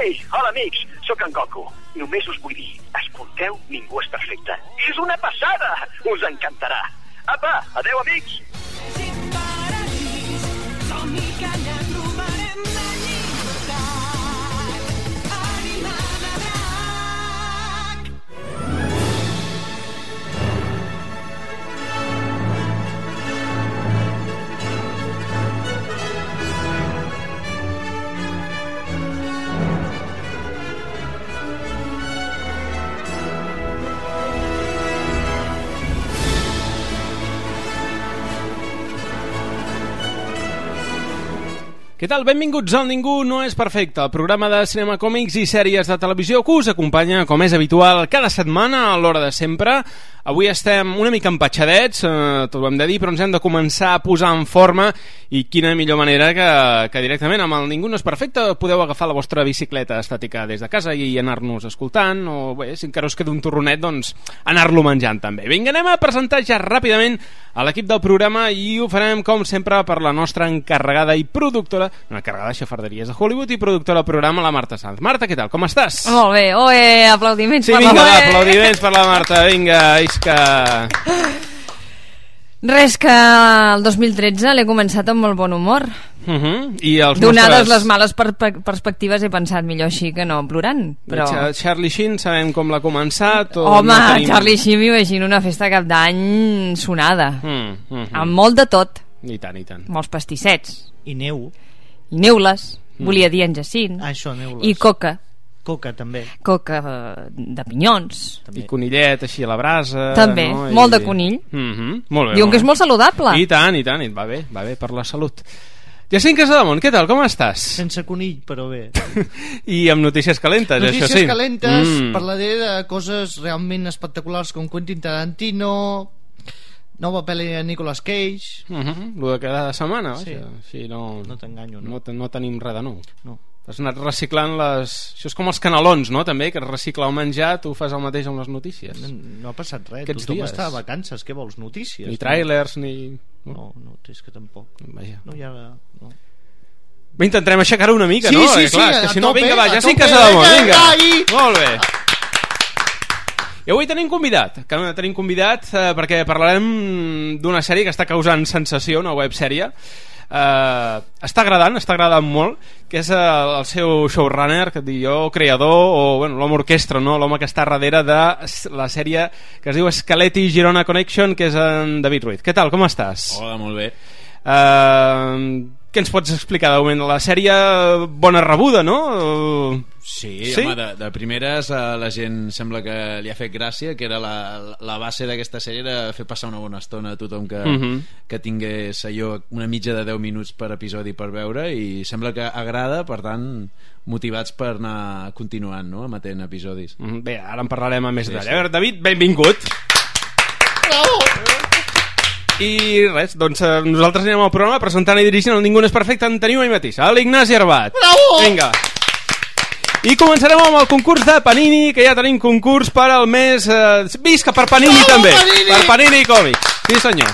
Ei, hola amics, sóc en Goku. Només us vull dir, escolteu Ningú és perfecte. És una passada! Us encantarà. Apa, adeu amics! Què tal? Benvinguts al Ningú no és perfecte, el programa de cinema, còmics i sèries de televisió que us acompanya, com és habitual, cada setmana a l'hora de sempre. Avui estem una mica empatxadets, tot ho hem de dir, però ens hem de començar a posar en forma i quina millor manera que directament amb el Ningú no és perfecte podeu agafar la vostra bicicleta estàtica des de casa i anar-nos escoltant, o bé, si encara us queda un torronet, doncs anar-lo menjant també. Vinga, anem a presentar ja ràpidament a l'equip del programa i ho farem, com sempre, per la nostra encarregada i productora, una encarregada de xafarderies de Hollywood i productora del programa, la Marta Sanz. Marta, què tal? Com estàs? Molt bé, aplaudiments per la Marta. Sí, vinga, aplaudiments per la Marta, vinga, isca. Res, que el 2013 l'he començat amb molt bon humor. I els donades les males perspectives he pensat millor així que no plorant, però... Charlie Sheen sabem com l'ha començat o home, no tenim... Charlie Sheen m'imagino una festa cap d'any sonada amb molt de tot. I tant, i tant. Molts pastissets i neu i neules, volia dir en Jacint. Això, neules. I coca també, coca de pinyons també. I conillet així a la brasa també, no? Molt de conill. Molt bé, diuen que és molt saludable. I tant, va bé per la salut. Jacint Casademont, què tal, com estàs? Sense conill, però bé. I amb notícies calentes, notícies això sí. Notícies calentes, parlaré de coses realment espectaculars com Quentin Tarantino, nova pel·li de Nicolas Cage, lo de cada setmana, sí. Sí, no t'enganyo, no tenim res de nou. No. Has anat reciclant les... Això és com els canelons, no? També, que recicla el menjar, tu fas el mateix amb les notícies. No ha passat res, tothom està a vacances, què vols, notícies? Ni tràilers, ni... No, és que tampoc. Vaja. No hi ha... No. Bé, intentarem aixecar-ho una mica, sí, no? Sí, clar, que si no, tope, vinga, va, Jacint Casademont, vinga. Molt bé. I avui tenim convidat perquè parlarem d'una sèrie que està causant sensació, una websèrie. Està agradant molt, que és el seu showrunner, que dic jo, creador, o bueno, l'home orquestra, no? L'home que està darrere de la sèrie que es diu Scaletti Girona Connection, que és en David Ruiz. Què tal, com estàs? Hola, molt bé. Què ens pots explicar de moment? La sèrie bona rebuda, no? Sí, home, de primeres la gent sembla que li ha fet gràcia, que era la base d'aquesta sèrie, era fer passar una bona estona a tothom que tingués allò, una mitja de 10 minuts per episodi per veure, i sembla que agrada, per tant motivats per anar continuant, no?, emetent episodis. Bé, ara en parlarem a més detall. A veure, David, benvingut. Bravo! I res, doncs nosaltres anem al programa presentant i dirigint el Ningú no és perfecte. En teniu ahir mateix, l'Ignasi Arbat. Bravo! Vinga. I començarem amb el concurs de Panini, que ja tenim concurs per al mes... Visca per Panini. Bravo, també, Panini! Per Panini Còmics. Sí senyor,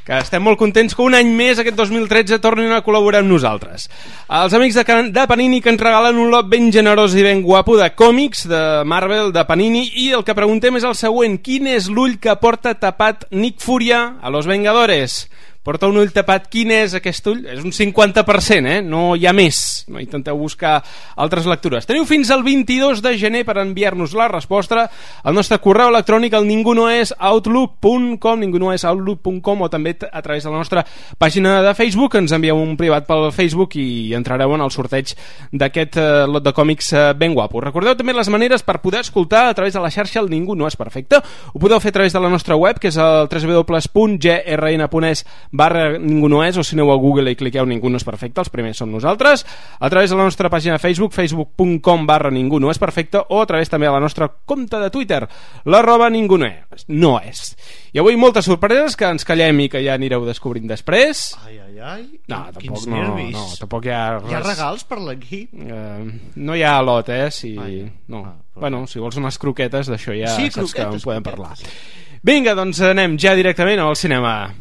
que estem molt contents que un any més, aquest 2013, tornin a col·laborar amb nosaltres. Els amics de Panini, que ens regalen un lot ben generós i ben guapo de còmics de Marvel, de Panini, i el que preguntem és el següent: quin és l'ull que porta tapat Nick Furia a Los Vengadores? Porta un ull tapat, quin és aquest ull? És un 50%, no hi ha més. No intenteu buscar altres lectures. Teniu fins al 22 de gener per enviar-nos la resposta al nostre correu electrònic al ningunoesoutlook.com, o també a través de la nostra pàgina de Facebook. Ens envieu un privat pel Facebook i entrareu en el sorteig d'aquest lot de còmics ben guapo. Recordeu també les maneres per poder escoltar a través de la xarxa El Ningú no és perfecte. Ho podeu fer a través de la nostra web, que és el www.grn.es/Ningú no és, o si aneu a Google i cliqueu Ningú no és perfecte, els primers som nosaltres, a través de la nostra pàgina de Facebook, facebook.com/Ningú no és perfecte, o a través també de la nostra compte de Twitter, @Ningú no és. I avui moltes sorpreses que ens callem i que ja anireu descobrint després. Ai, no, quins nervis. No, tampoc hi ha res. Hi ha regals per l'equip? No hi ha lot, si... Bueno, si vols unes croquetes, d'això ja saps que en podem parlar. Vinga, doncs anem ja directament al cinema.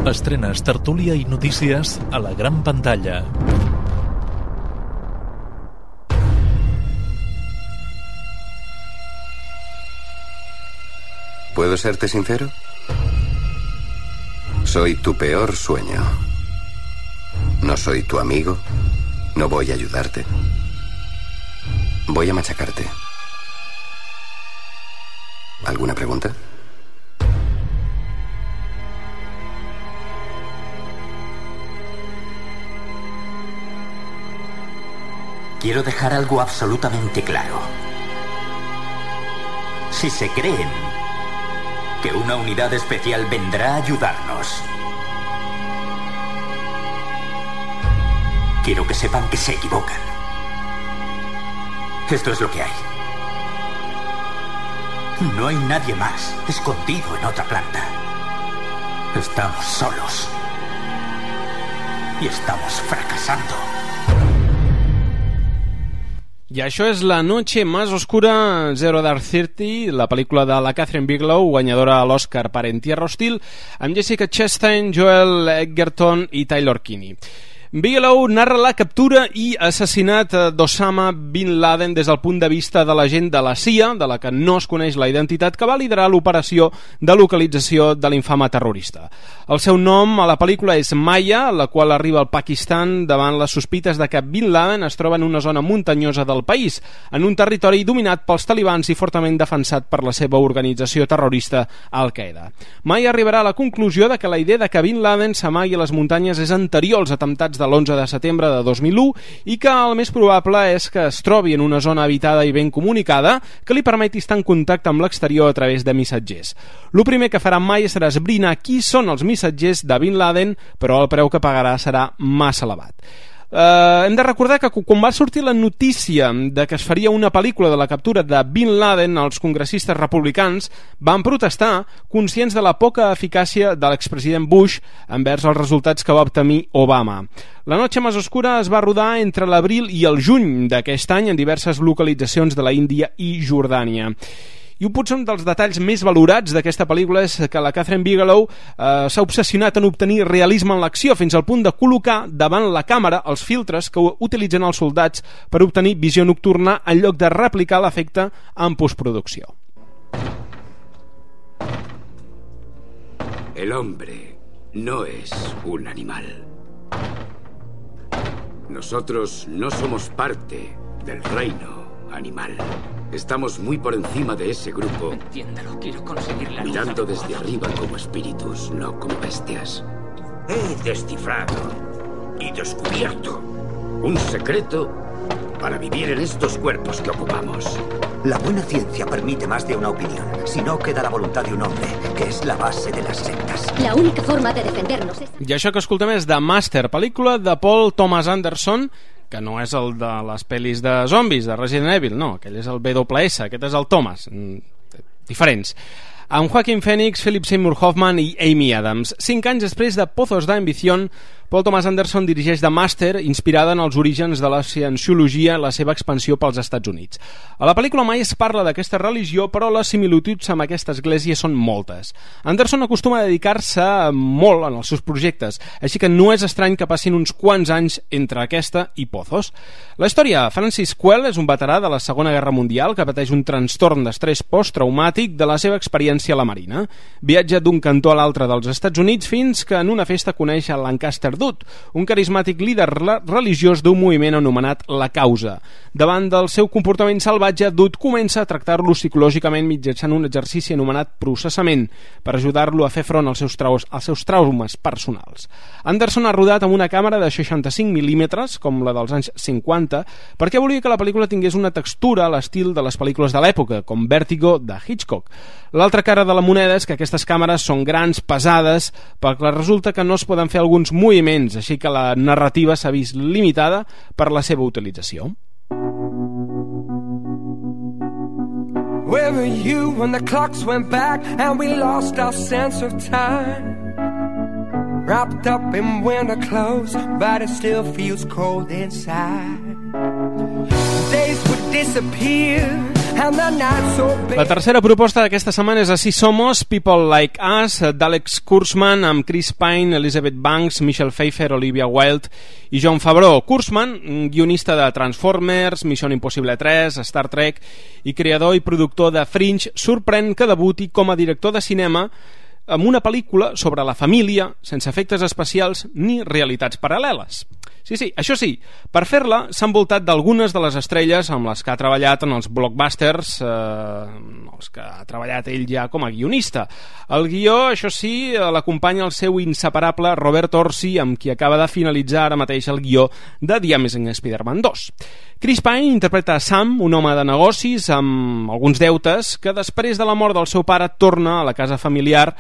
Estrenes, tertúlia i notícies a la gran pantalla. ¿Puedo serte sincero? Soy tu peor sueño. No soy tu amigo. No voy a ayudarte. Voy a machacarte. ¿Alguna pregunta? Quiero dejar algo absolutamente claro. Si se creen que una unidad especial vendrá a ayudarnos, quiero que sepan que se equivocan. Esto es lo que hay. No hay nadie más escondido en otra planta. Estamos solos. Y estamos fracasando. I això és La noche más oscura, Zero Dark Thirty, la pel·lícula de la Catherine Bigelow, guanyadora a l'Oscar per En Tierra Hostil, amb Jessica Chastain, Joel Edgerton i Taylor Kinney. Bigelow narra la captura i assassinat d'Osama Bin Laden des del punt de vista de l'agent de la CIA, de la que no es coneix la identitat, que va liderar l'operació de localització de l'infame terrorista. El seu nom a la pel·lícula és Maya, la qual arriba al Pakistan davant les sospites de que Bin Laden es troba en una zona muntanyosa del país, en un territori dominat pels talibans i fortament defensat per la seva organització terrorista Al-Qaeda. Maya arribarà a la conclusió de que la idea de que Bin Laden s'amagui a les muntanyes és anterior als atemptats de l'11 de setembre de 2001 i que el més probable és que es trobi en una zona habitada i ben comunicada que li permeti estar en contacte amb l'exterior a través de missatgers. El primer que farà Maya serà esbrinar qui són els missatgers de Bin Laden, però el preu que pagarà serà massa elevat. Hem de recordar que quan va sortir la notícia de que es faria una pel·lícula de la captura de Bin Laden, els congressistes republicans van protestar, conscients de la poca eficàcia de l'expresident Bush envers els resultats que va obtenir Obama. La noche más oscura es va rodar entre l'abril i el juny d'aquest any en diverses localitzacions de la Índia i Jordània. I potser un dels detalls més valorats d'aquesta pel·lícula és que la Catherine Bigelow s'ha obsessionat en obtenir realisme en l'acció, fins al punt de col·locar davant la càmera els filtres que utilitzen els soldats per obtenir visió nocturna en lloc de replicar l'efecte en postproducció. El hombre no es un animal. Nosotros no somos parte del reino animal. Estamos muy por encima de ese grupo. Entiéndalo, quiero conseguir la mirando desde arriba como espíritus, no como bestias. He descifrado y descubierto un secreto para vivir en estos cuerpos que ocupamos. La buena ciencia permite más de una opinión. Si no, queda la voluntad de un hombre, que es la base de las sectas. La única forma de defendernos es... I això que escoltem és The Master, pel·lícula de Paul Thomas Anderson, que no és el de les pel·lis de zombis de Resident Evil, no, aquell és el BWS, aquest és el Thomas, diferents, amb Joaquin Phoenix, Philip Seymour Hoffman i Amy Adams. 5 anys després de Pozos de Ambición, Paul Thomas Anderson dirigeix The Master, inspirada en els orígens de la cienciologia i la seva expansió pels Estats Units. A la pel·lícula mai es parla d'aquesta religió, però les similituds amb aquesta església són moltes. Anderson acostuma a dedicar-se molt en els seus projectes, així que no és estrany que passin uns quants anys entre aquesta i Pozos. La història, Francis Quell és un veterà de la Segona Guerra Mundial que pateix un trastorn d'estrès posttraumàtic de la seva experiència a la Marina. Viatja d'un cantó a l'altre dels Estats Units fins que en una festa coneix a Lancaster Dutt, un carismàtic líder religiós d'un moviment anomenat La Causa. Davant del seu comportament salvatge, Dutt comença a tractar-lo psicològicament mitjançant un exercici anomenat processament per ajudar-lo a fer front als seus traumes personals. Anderson ha rodat amb una càmera de 65 mm, com la dels anys 50, perquè volia que la pel·lícula tingués una textura a l'estil de les pel·lícules de l'època, com Vértigo de Hitchcock. L'altra cara de la moneda és que aquestes càmeres són grans, pesades, perquè resulta que no es poden fer alguns moviments, així que la narrativa s'ha vist limitada per la seva utilització. Where were you when the clocks went back and we lost our sense of time? Wrapped up in winter clothes, but it still feels cold inside. Days would disappear and the night so big. La tercera proposta d'aquesta setmana és Así Somos, People Like Us, d'Alex Kurtzman, amb Chris Pine, Elizabeth Banks, Michelle Pfeiffer, Olivia Wilde i Jon Favreau. Kurtzman, guionista de Transformers, Missió Impossible 3, Star Trek i creador i productor de Fringe, sorprèn que debuti com a director de cinema amb una pel·lícula sobre la família sense efectes especials ni realitats paral·leles. Sí, això sí, per fer-la s'ha envoltat d'algunes de les estrelles amb les que ha treballat en els blockbusters, els que ha treballat ell ja com a guionista. El guió, això sí, l'acompanya el seu inseparable Robert Orci, amb qui acaba de finalitzar ara mateix el guió de The Amazing Spider-Man 2. Chris Pine interpreta Sam, un home de negocis amb alguns deutes que després de la mort del seu pare torna a la casa familiar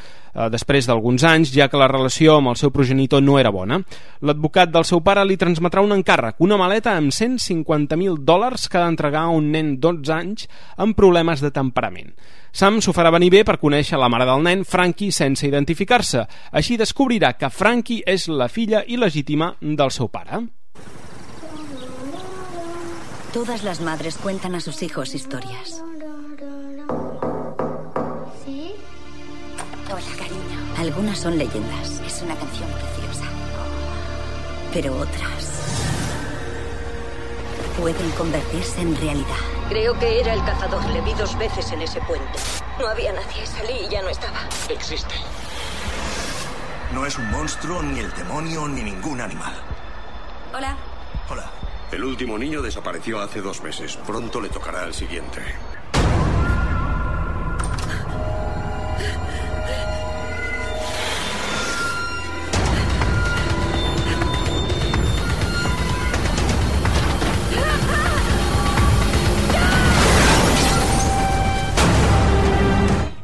després d'alguns anys, ja que la relació amb el seu progenitor no era bona. L'advocat del seu pare li transmetrà un encàrrec, una maleta amb $150.000 que ha d'entregar a un nen 12 anys amb problemes de temperament. Sam s'ho farà venir bé per conèixer la mare del nen, Frankie, sense identificar-se. Així descobrirà que Frankie és la filla il·legítima del seu pare. Todas las madres cuentan a sus hijos historias. ¿Sí? Hola, cariño. Algunas son leyendas. Es una canción preciosa. Pero otras pueden convertirse en realidad. Creo que era el cazador. Le vi 2 veces en ese puente. No había nadie. Salí y ya no estaba. Existe. No es un monstruo, ni el demonio, ni ningún animal. Hola. Hola. El último niño desapareció hace 2 meses. Pronto le tocará al siguiente.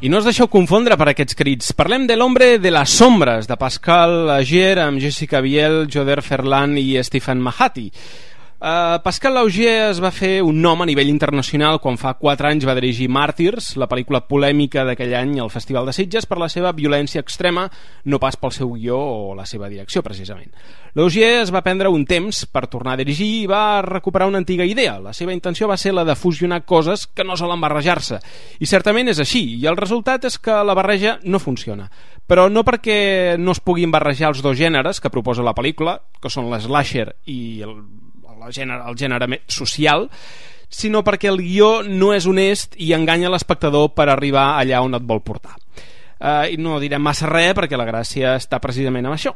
I no us deixeu confondre per aquests crits. Parlem de l'Hombre de les Sombres, de Pascal Laugier, amb Jessica Biel, Joder Ferland i Stephen Mahati. Pascal Laugier es va fer un nom a nivell internacional quan fa 4 anys va dirigir Màrtirs, la pel·lícula polèmica d'aquell any al Festival de Sitges per la seva violència extrema, no pas pel seu guió o la seva direcció, precisament. Laugier es va prendre un temps per tornar a dirigir i va recuperar una antiga idea. La seva intenció va ser la de fusionar coses que no solen barrejar-se. I certament és així, i el resultat és que la barreja no funciona. Però no perquè no es puguin barrejar els 2 gèneres que proposa la pel·lícula, que són l'slasher i el gènere social, sinó perquè el guió no és honest i enganya l'espectador per arribar allà on et vol portar. I no direm massa res perquè la gràcia està precisament en això.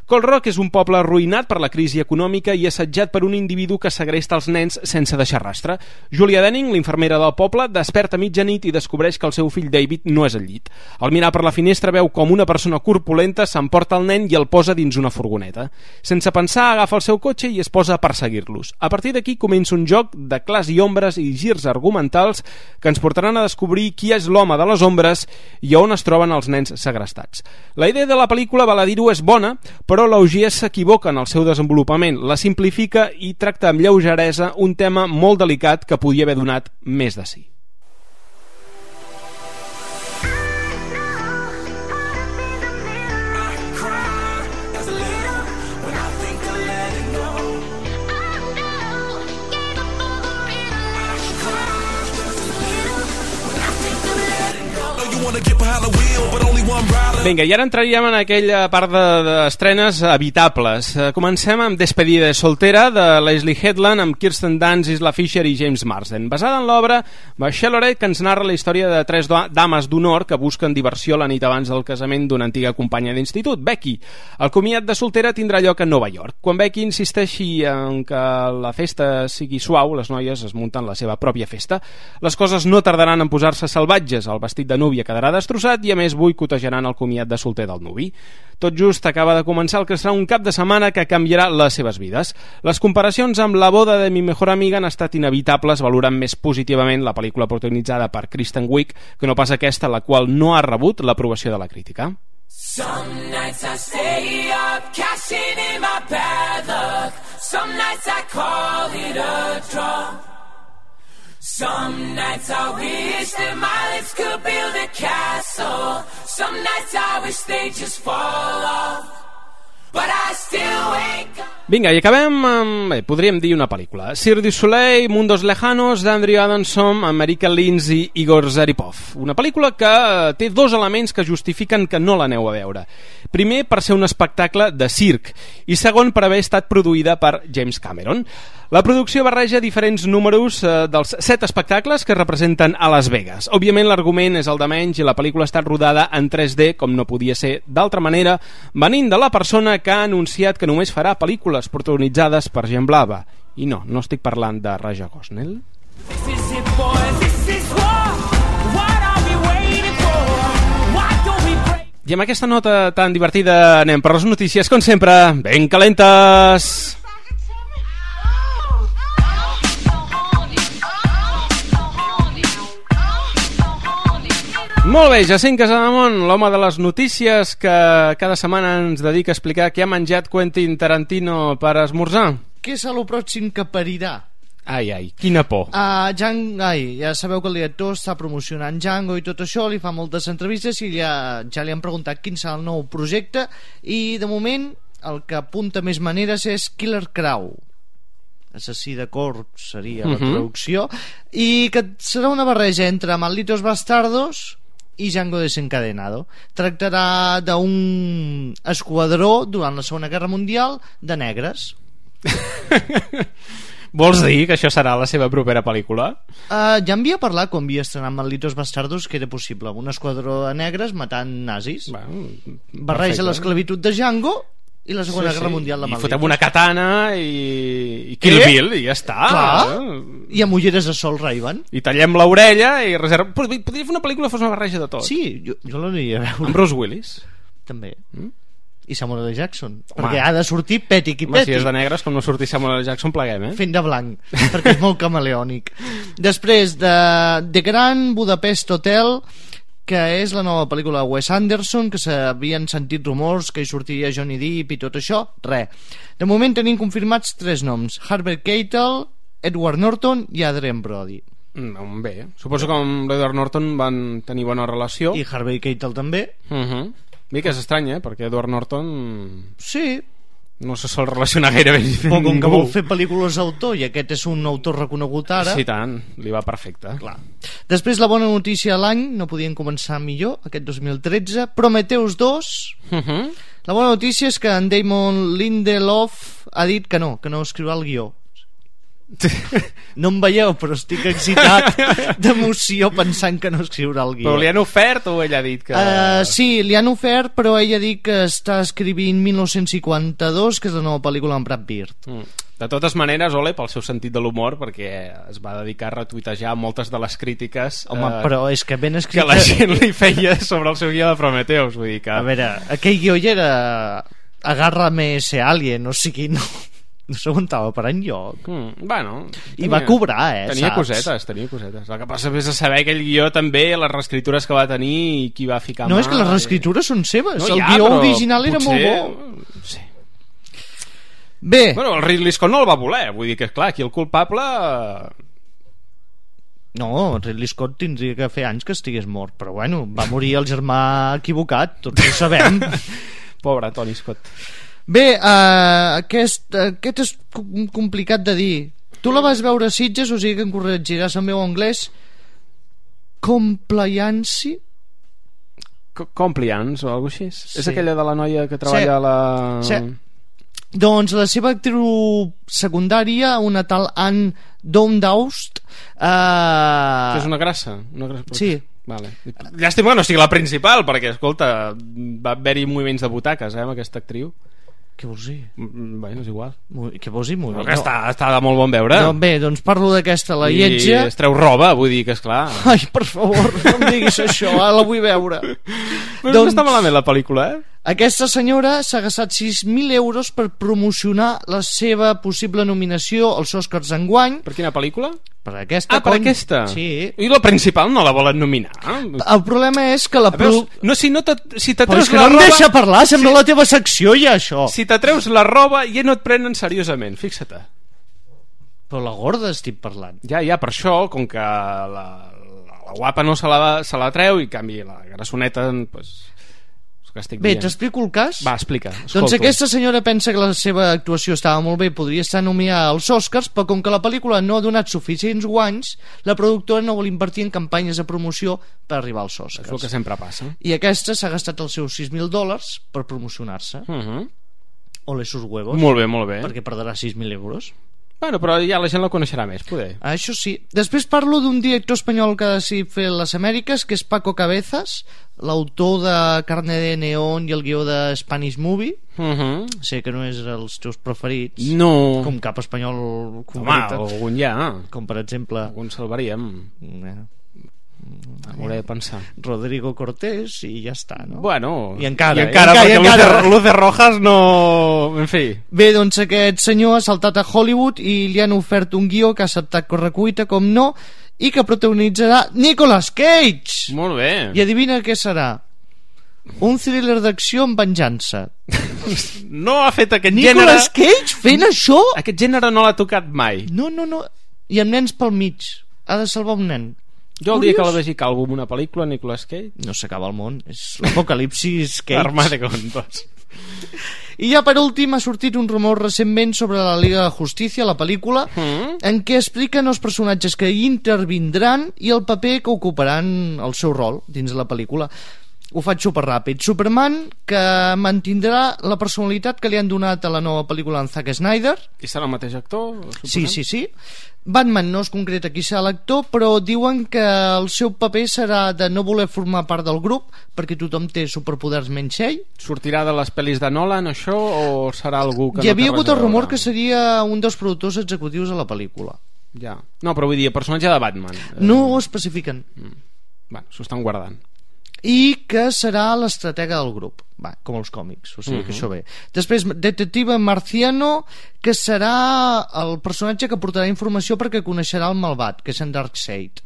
Cold Rock és un poble arruïnat per la crisi econòmica i assetjat per un individu que segresta els nens sense deixar rastre. Julia Denning, l'infermera del poble, desperta a mitjanit i descobreix que el seu fill David no és al llit. Al mirar per la finestra veu com una persona corpulenta s'emporta el nen i el posa dins una furgoneta. Sense pensar, agafa el seu cotxe i es posa a perseguir-los. A partir d'aquí comença un joc de clars i ombres i girs argumentals que ens portaran a descobrir qui és l'home de les ombres i on es troben els nens segrestats. La idea de la pel·lícula, val a dir-ho, és bona, però Laugier s'equivoca en el seu desenvolupament, la simplifica i tracta amb lleugeresa un tema molt delicat que podia haver donat més de si. Vinga, i ara entraríem en aquella part d'estrenes evitables. Comencem amb Despedida de soltera, de Leslie Headland, amb Kirsten Dunst, Isla Fisher i James Marsden. Basada en l'obra Bachelorette, que ens narra la història de 3 dames d'honor que busquen diversió la nit abans del casament d'una antiga companya d'institut, Becky. El comiat de soltera tindrà lloc a Nova York. Quan Becky insisteixi en que la festa sigui suau, les noies es munten la seva pròpia festa. Les coses no tardaran en posar-se salvatges, el vestit de núvia quedarà destrossat i a més boicotejaran el comiat de solter del nuvi. Tot just acaba de començar el que serà un cap de setmana que canviarà les seves vides. Les comparacions amb La boda de mi mejor amiga han estat inevitables, valorant més positivament la pel·lícula protagonitzada per Kristen Wiig que no pas aquesta, la qual no ha rebut l'aprovació de la crítica. Some nights I stay up, cashing in my bad luck. Some nights I call it a draw. Some nights I wish that my lips could build a castle. Some nights I wish they just fall off. But I still wake up. Vinga, i acabem amb, podríem dir una pel·lícula. Cirque du Soleil, Mundos Lejanos, d'Andrew Adamson, America Lins i Igor Zaripov. Una pel·lícula que té dos elements que justifiquen que no l'aneu a veure. Primer, per ser un espectacle de circ, i segon, per haver estat produïda per James Cameron. La producció barreja diferents números dels 7 espectacles que representen a Las Vegas. Òbviament l'argument és el de menys i la pel·lícula ha estat rodada en 3D, com no podia ser d'altra manera, venint de la persona que ha anunciat que només farà pel·lícules protagonitzades per gent blava. I no estic parlant de Raja Gosnell. I amb aquesta nota tan divertida anem per les notícies, com sempre, ben calentes! Molt bé, Jacint Casademont, l'home de les notícies que cada setmana ens dedica a explicar què ha menjat Quentin Tarantino per esmorzar. Què és el pròxim que parirà? Ai, quina por. Ja sabeu que el director està promocionant Django i tot això, li fa moltes entrevistes i ja li han preguntat quin serà el nou projecte i de moment el que apunta més maneres és Killer Crow, assassí de corps seria la traducció, i que serà una barreja entre Malditos Bastardos i Django Desencadenado. Tractarà d'un esquadró durant la Segona Guerra Mundial de negres. Vols dir que això serà la seva propera pel·lícula? Ja en havia parlat quan havia estrenat Malditos Bastardos que era possible, un esquadró de negres matant nazis. Barreja l'esclavitud de Django i la Segona Guerra Mundial de Malditos. I fotem una katana i Kill Bill i ja està. Clar. I amb ulleres de sol Ray-Ban. I tallem l'orella i reservem... Podria fer una pel·lícula que fos una barreja de tot. Sí, jo l'aniria a veure. Amb Bruce Willis. També. I Samuel L. Jackson. Perquè ha de sortir Pètic i Pètic. Si és de negres, com no sortir Samuel L. Jackson, pleguem, fent de blanc, perquè és molt camaleònic. Després de The Grand Budapest Hotel, que és la nova pel·lícula de Wes Anderson, que s'havien sentit rumors que hi sortiria Johnny Depp i tot això, res. De moment tenim confirmats 3 noms: Harvey Keitel, Edward Norton i Adrien Brody. Bé, suposo que amb l'Edward Norton van tenir bona relació. I Harvey Keitel també. Bé, que és estrany, perquè Edward Norton... Sí, no se sol relacionar gaire bé. Però com que vol fer pel·lícules d'autor i aquest és un autor reconegut ara... Sí, tant, li va perfecte. Clar. Després la bona notícia de l'any, no podien començar millor, aquest 2013, Prometheus 2. La bona notícia és que en Damon Lindelof ha dit que no escriurà el guió. No em veieu, però estic excitat d'emoció pensant que no escriurà el guió. Però li han ofert o ell ha dit que... Sí, li han ofert, però ell ha dit que està escrivint 1952, que és la nova pel·lícula amb Brad Pitt. De totes maneres, ole pel seu sentit de l'humor, perquè es va dedicar a retuitejar moltes de les crítiques però és que ben escrit... que la gent li feia sobre el seu guió de Prometheus, vull dir que... A veure, aquell guió ja era Agárrame ese alien, o sigui, no s'aguantava per enlloc. I va cobrar, tenia saps? Tenia cosetes. El que passa és a saber aquell guió també, les reescritures que va tenir i qui va ficar No, és que les reescritures són seves. El guió original era molt bo. Sí. Bé. Bueno, el Ridley Scott no el va voler. Vull dir que, clar, aquí el culpable... No, Ridley Scott tindria que fer anys que estigués mort, però bueno, va morir el germà equivocat, tots ho sabem. Pobre Tony Scott. Bé, aquest és complicat de dir. Tu la vas veure a Sitges, o sigui que em corregiràs el meu anglès. Compliance o alguna cosa així? Sí. És aquella de la noia que treballa a la... Sí. Doncs la seva actriu secundària, una tal Anne Downdaust, que és una grassa? Sí. Vale. Llàstima que no sigui la principal, perquè, escolta, va haver-hi moviments de butaques, amb aquesta actriu. Què vols dir? Bueno, és igual. Què vols dir? No, que està de molt bon veure. No, bé, doncs parlo d'aquesta, la lletja. I es treu roba, vull dir que esclar. Ai, per favor, no em diguis això, ara la vull veure. Però doncs, no està malament la pel·lícula, Aquesta senyora s'ha gastat 6.000 euros per promocionar la seva possible nominació als Oscars enguany. Per quina pel·lícula? Per aquesta. Per aquesta? Sí. I la principal no la volen nominar? El problema és que la... si t'atreus la roba... No em deixa parlar, sembla la teva secció ja, això. Si t'atreus la roba ja no et prenen seriosament, fixa't. Però la gorda estic parlant. Ja, per això, com que la guapa no se la treu i en canvi la grassoneta, pues, que estic Bé, dient. t'explico el cas? Va, explica. Doncs aquesta senyora pensa que la seva actuació estava molt bé, podria estar nominada als Oscars, però com que la pel·lícula no ha donat suficients guanys, la productora no vol invertir en campanyes de promoció per arribar als Oscars. És el que sempre passa. I aquesta s'ha gastat els seus $6.000 per promocionar-se. Ole sus huevos. Molt bé, molt bé. Perquè perdrà 6.000 euros. Bueno, però ja la gent la coneixerà més, poder. Això sí. Després parlo d'un director espanyol que ha decidit fer les Amèriques, que és Paco Cabezas, l'autor de Carne de Neón i el guió de Spanish Movie. Sé que no és els teus preferits. No. Com cap espanyol concret. Home, algun ja. Com per exemple... Algun salvaríem. Hauré de pensar. Rodrigo Cortés i ja està, no? Bueno, I encara perquè Luces Rojas no... En fi. Bé, doncs aquest senyor ha saltat a Hollywood i li han ofert un guió que ha acceptat correcuita, com no, i que protagonitzarà Nicolas Cage. Molt bé. I adivina què serà? Un thriller d'acció amb venjança. No ha fet aquest gènere... Nicolas Cage fent això? Aquest gènere no l'ha tocat mai. No. I amb nens pel mig. Ha de salvar un nen. Jo el dia que la vegi calvo en una pel·lícula, Nicolas Cage... No s'acaba el món, és l'apocalipsis Cage. Arma de contos. I ja per últim ha sortit un rumor recentment sobre la Liga de Justícia, la pel·lícula, en què expliquen els personatges que hi intervindran i el paper que ocuparan el seu rol dins de la pel·lícula. Ho faig superràpid. Superman, que mantindrà la personalitat que li han donat a la nova pel·lícula en Zack Snyder. I serà el mateix actor? Sí. Batman no es concreta qui serà l'actor, però diuen que el seu paper serà de no voler formar part del grup perquè tothom té superpoders menys ell. Sortirà de les pel·lis de Nolan, això, o serà algú que Hi havia hagut el rumor que seria un dels productors executius de la pel·lícula. Ja. No, però vull dir, el personatge de Batman. No ho especifiquen. Bueno, s'ho estan guardant. I que serà l'estratega del grup, com els còmics, o sigui que això bé. Després, Detective Marciano, que serà el personatge que portarà informació perquè coneixerà el malvat, que és en Darkseid.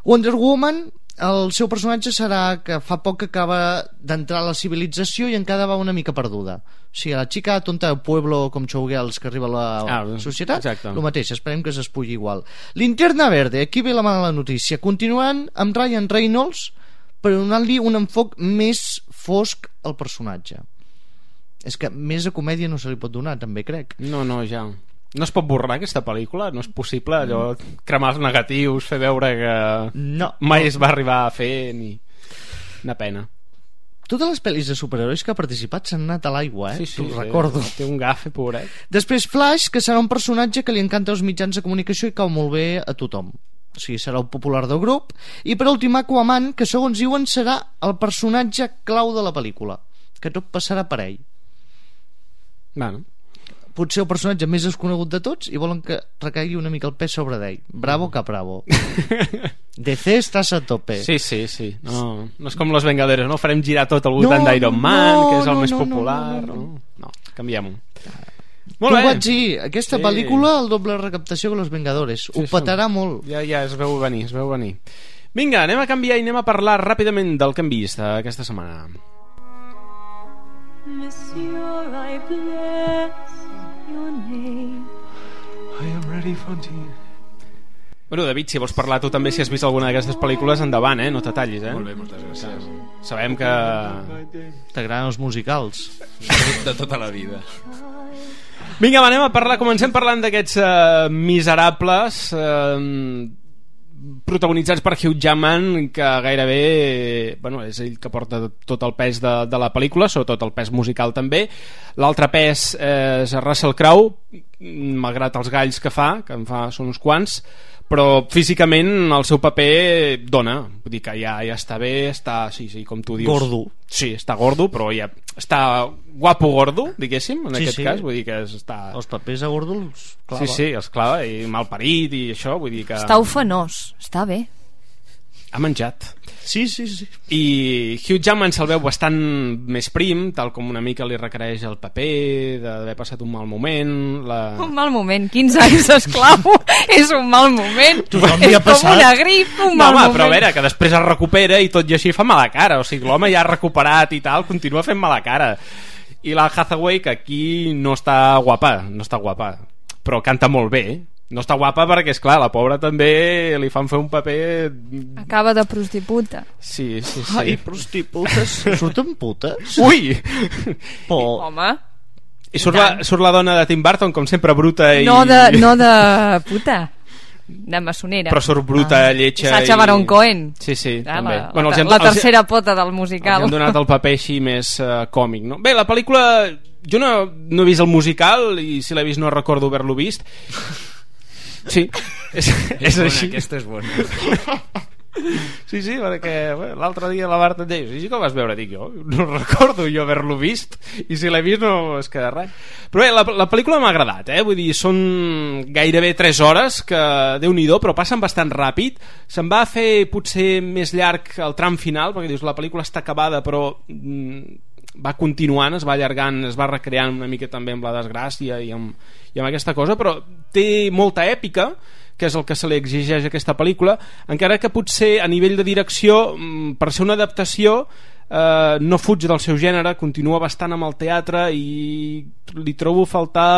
Wonder Woman, el seu personatge serà que fa poc que acaba d'entrar a la civilització i encara va una mica perduda. O sigui, la xica tonta del pueblo com Showgirls que arriba a la societat, el mateix, esperem que s'espulli igual. Linterna Verde, aquí ve la mala notícia, continuant amb Ryan Reynolds, però donant-li un enfoc més fosc al personatge. És que més de comèdia no se li pot donar, també crec. No, ja. No es pot borrar aquesta pel·lícula? No és possible allò cremar els negatius, fer veure que mai es va arribar a fer ni... Una pena. Totes les pel·lis de superherois que ha participat s'han anat a l'aigua, Sí, t'ho recordo. Té un gafe, pobret. Després Flash, que serà un personatge que li encanta als mitjans de comunicació i cau molt bé a tothom. O sigui, serà el popular del grup. I per últim Aquaman, que segons diuen serà el personatge clau de la pel·lícula, que tot passarà per ell. Potser el personatge més desconegut de tots i volen que recaigui una mica el pes sobre d'ell. Bravo que bravo. DC estàs a tope. Sí. No és com Los Vengadores, no farem girar tot al voltant d'Iron Man, que és el més popular. No, canviem-ho. Molt bé. Vaig dir, aquesta pel·lícula el doble recaptació que Los Vengadores. Ho petarà molt. Ja es veu venir, Vinga, anem a canviar i anem a parlar ràpidament del que hem vist aquesta setmana. Monsieur, I bless your name. I am ready, Fantine. Bueno, David, si vols parlar tu també, si has vist alguna d'aquestes pel·lícules, endavant, no te tallis, Molt bé, moltes gràcies. Sabem que t'agraden els musicals de tota la vida. Vinga, anem a parlar. Comencem parlant d'aquests miserables protagonitzats per Hugh Jackman, que gairebé és ell que porta tot el pes de la pel·lícula, sobretot el pes musical també. L'altre pes és Russell Crowe, malgrat els galls que fa, són uns quants, però físicament el seu paper dona, vull dir que ja està bé, està, sí, com tu dius, gordo. Sí, està gordo, però ja està guapo gordo, diguéssim, en aquest cas, vull dir que està... Els papers a gordo els clava. Sí, els clava, i malparit i això, vull dir que... Està ufanós, està bé. Ha menjat. Sí. I Hugh Jackman se'l veu bastant més prim, tal com una mica li requereix el paper, d'haver passat un mal moment. Un mal moment, 15 anys d'esclau és un mal moment. És com una grip, un mal moment. Però a veure, que després es recupera i tot i així fa mala cara. O sigui, l'home ja ha recuperat i tal, continua fent mala cara. I la Hathaway, que aquí no està guapa, però canta molt bé, No està guapa perquè, esclar, la pobra també li fan fer un paper... Acaba de prostituta. Sí. Ai, prostitutes, surten putes? Ui! Home... I surt la dona de Tim Burton, com sempre, bruta i... No de puta, de maçonera. Però surt bruta, lletja... Sacha Baron Cohen. Sí, també. La tercera pota del musical. Els han donat el paper així més còmic, no? Bé, la pel·lícula... Jo no he vist el musical i si l'he vist no recordo haver-lo vist. Sí, és així. Aquesta és bona. Sí, perquè l'altre dia la Marta em deia, sí que el vas veure, dic jo, no recordo jo haver-lo vist, i si l'he vist no es queda res. Però bé, la pel·lícula m'ha agradat, vull dir, són gairebé 3 hores, que Déu-n'hi-do, però passen bastant ràpid. Se'n va fer potser més llarg el tram final, perquè dius, la pel·lícula està acabada, però va continuant, es va allargant, es va recreant una mica també amb la desgràcia i amb aquesta cosa, però té molta èpica, que és el que se li exigeix a aquesta pel·lícula, encara que potser a nivell de direcció, per ser una adaptació, no fuig del seu gènere, continua bastant amb el teatre i li trobo faltar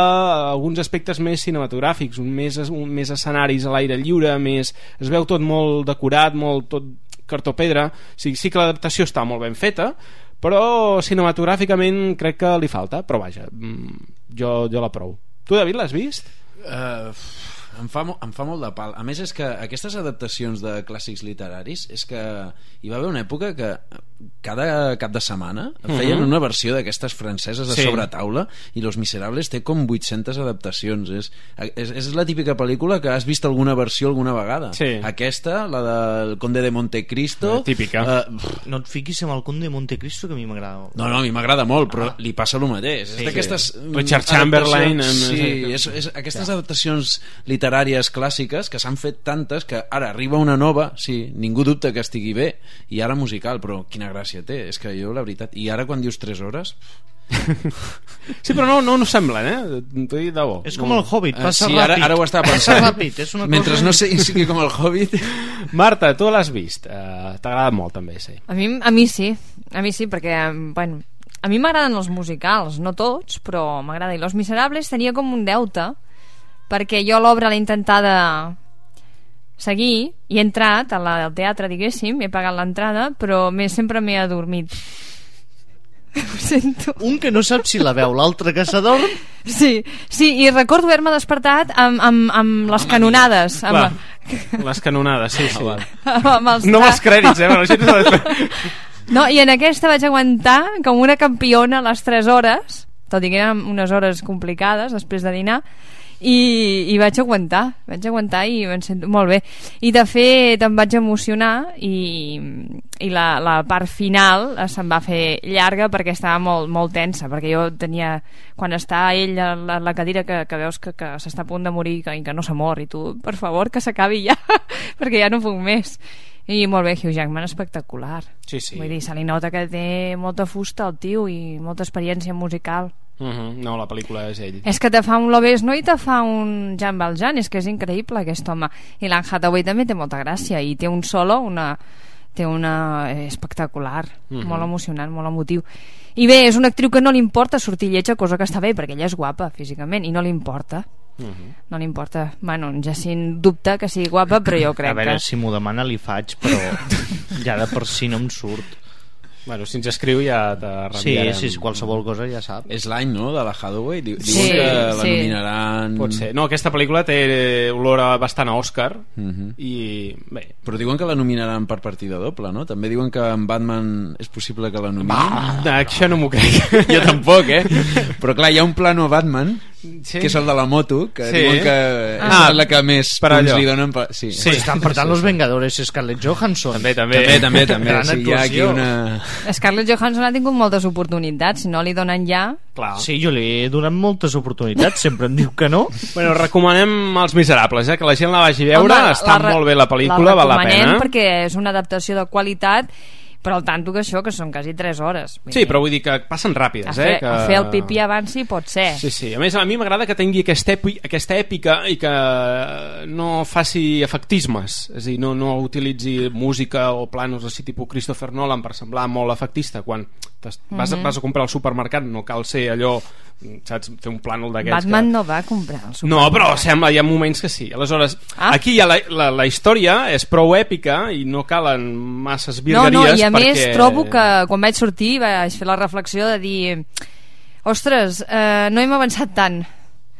alguns aspectes més cinematogràfics, més escenaris a l'aire lliure, es veu tot molt decorat, molt tot cartó-pedra. Sí que l'adaptació està molt ben feta, però cinematogràficament crec que li falta, però vaja, jo l'aprovo. Tu, David, l'has vist? Em fa molt de pal. A més, és que aquestes adaptacions de clàssics literaris, és que hi va haver una època que cada cap de setmana feien una versió d'aquestes franceses a sobretaula, i Los Miserables té com 800 adaptacions. És la típica pel·lícula que has vist alguna versió alguna vegada. Aquesta, la del Conde de Montecristo, típica. No et fiquis amb el Conde de Montecristo, que a mi m'agrada. No, a mi m'agrada molt, però li passa el mateix. És d'aquestes Richard Chamberlain. Sí, aquestes adaptacions literàries clàssiques que s'han fet tantes que ara arriba una nova, sí, ningú dubta que estigui bé, i ara musical, però quina gràcia té, és que jo la veritat, i ara quan dius 3 hores sí, però no semblen, t'ho dic de bo. És com el Hobbit, passa ràpid. Ara ho estava pensant. Mentre cosa... no sigui com el Hobbit. Marta, tu l'has vist, t'ha agradat molt també, sí. A mi sí, perquè bueno, a mi m'agraden els musicals, no tots, però m'agrada. I Los Miserables tenia com un deute, perquè jo l'obra l'he intentada seguir i he entrat al teatre, diguéssim, he pagat l'entrada, però sempre m'he adormit. Ho sento. Un que no sap si la veu, l'altre que s'adorm. Sí, i recordo haver-me despertat amb les canonades. Les canonades, sí. No amb els crèdits, No, i en aquesta vaig aguantar com una campiona a les 3 hores, tot i que eren unes hores complicades després de dinar, i vaig aguantar i em sento molt bé. I de fet em vaig emocionar i la part final se'm va fer llarga perquè estava molt, molt tensa, perquè jo tenia, quan està ell a la cadira que veus que s'està a punt de morir i que no s'ha mort, i tu, per favor, que s'acabi ja perquè ja no puc més. I molt bé, Hugh Jackman espectacular. Sí. Vull dir, se li nota que té molta fusta el tio i molta experiència musical. No, la pel·lícula és ell. És que te fa un Lobezno i te fa un Jean Valjean, és que és increïble aquest home. I l'Anne Hathaway també té molta gràcia i té un solo, té una espectacular, molt emocionant, molt emotiu. I bé, és una actriu que no li importa sortir lletja, cosa que està bé, perquè ella és guapa físicament i no li importa. No li importa. Bueno, en Jacint dubta que sigui guapa, però jo crec que... A veure, si m'ho demana li faig, però ja de per si no em surt. Bueno, si ens escriu ja te reenviarem. Sí, qualsevol cosa ja sap. És l'any, no?, de la Hathaway. Diuen que la nominaran... Pot ser. No, aquesta pel·lícula té olor bastant a Òscar i bé... Però diuen que la nominaran per partida doble, no? També diuen que en Batman és possible que la nominin. Això no m'ho crec. Jo tampoc, Però clar, hi ha un plano a Batman, que és el de la moto, que diuen que és la que més punts li donen. Sí, estan per tant Los Vengadores, Scarlett Johansson. També. Sí, hi ha aquí una... Scarlett Johansson ha tingut moltes oportunitats, si no li donen ja... Clar. Sí, jo li he donat moltes oportunitats, sempre em diu que no. Bueno, recomanem Els Miserables, que la gent la vagi a veure. Està molt bé la pel·lícula, val la pena. La recomanem perquè és una adaptació de qualitat, però al tanto que això, que són quasi 3 hores. Sí, però vull dir que passen ràpides. A fer el pipí abans sí pot ser. Sí. A més, a mi m'agrada que tingui aquesta èpica i que no faci efectismes. És a dir, no utilitzi música o planos així tipus Christopher Nolan per semblar molt efectista, quan vas a comprar al supermercat, no cal ser allò, saps, fer un plànol d'aquests. Batman no va comprar al supermercat. No, però sembla, hi ha moments que sí. Aleshores, aquí ja la història és prou èpica i no calen masses virgueries. I a més trobo que quan vaig sortir vaig fer la reflexió de dir, ostres, no hem avançat tant.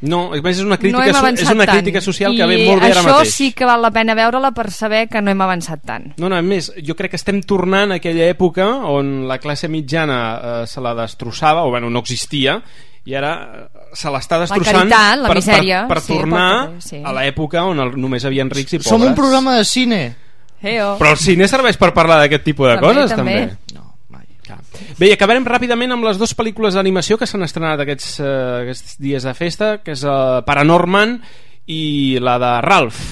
No, a més és una crítica social que ve molt bé ara mateix. I això sí que val la pena veure-la per saber que no hem avançat tant. No, a més, jo crec que estem tornant a aquella època on la classe mitjana se la destrossava, o bueno, no existia, i ara se l'està destrossant la misèria, per tornar a l'època on només havien rics i pobres. Som un programa de cine. Però el cine serveix per parlar d'aquest tipus de coses, també. No, mai. Bé, i acabarem ràpidament amb les 2 pel·lícules d'animació que s'han estrenat aquests dies de festa, que és Paranorman i la de Ralph.